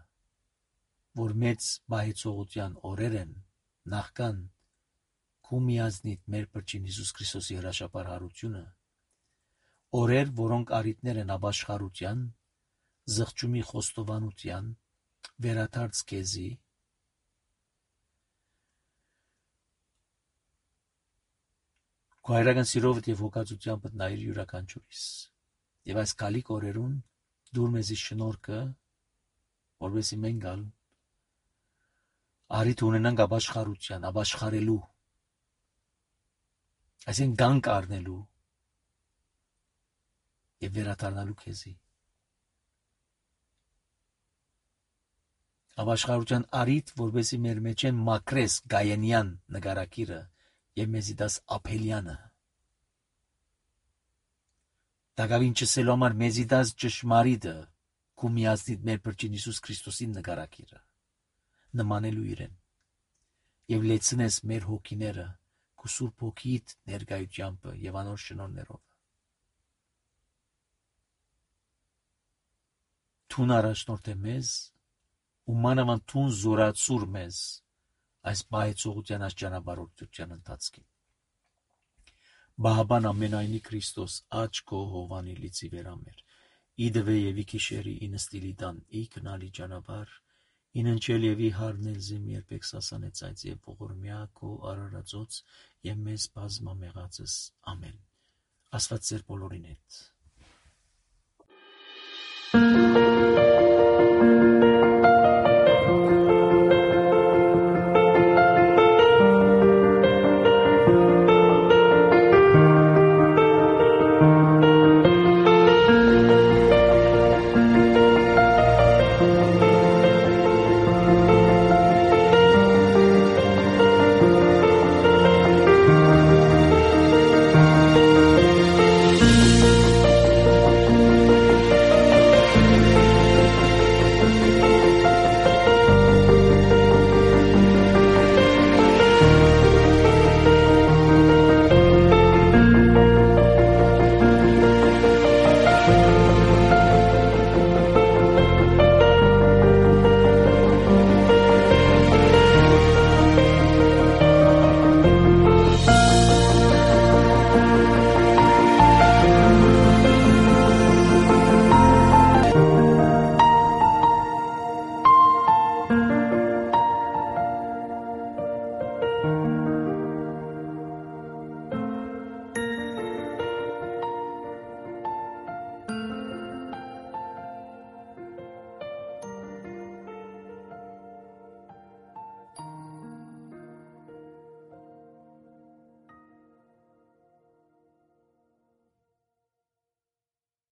որ մեծ բայեցողության օրեր են, նախքան քու միազնիտ մեր Փրկին Հիսուս Քրիստոսի հրաշապար հարությունը, օրեր, որոնք արիտներ են ապաշխարության, զղջումի խոստովանության, վերադարձ քեզի, քո հայրական սիրովդ եւ հոգածությամբ նայիր յուրաքանչյուրիս։ Եվ այս գալիք օրերուն դուր մեզի շնորհքը, որովհետեւ մենք գալ արիթ ունենանք ապաշխարության, ապաշխարելու, այսինքն գանք առնելու եւ վերադառնալու քեզի։ Ապաշխարության արիթ, որովհետեւ մեր մեջ են մակրես գայանյան նկարակիրը եւ մեզի դաս ապելյանը։ Դակավին չսելու համար մեզի դաս ճշմարիտը, քու միազնիտ մեր Փրկին Հիսուս Քրիստոսի նկարակիրը, նմանելու իրեն, եւ լեցնես մեր հոգիները քու Սուրբ Հոգիիդ ներկայությամբ եւ անոր շնորհներով։ Թուն առաջնորդ է մեզ, ու մանավանդ թուն զորացուր մեզ այս բայեցողության այս ճանապարհորդության ընթացքին։ Բահաբան ամենայնի Քրիստոս աչ քո հովանի լիցի վերամեր, իդվե եւ իքիշերի ինստիլի դան ի կնալի ճանապարհ, ինընչել եւ ի հարնել զեմ երբեք սասանեց այդ եւ ողորմյա քո արարածոց եւ մեզ բազմամեղածս ամեն։ Աստված ձեր բոլորին հետ։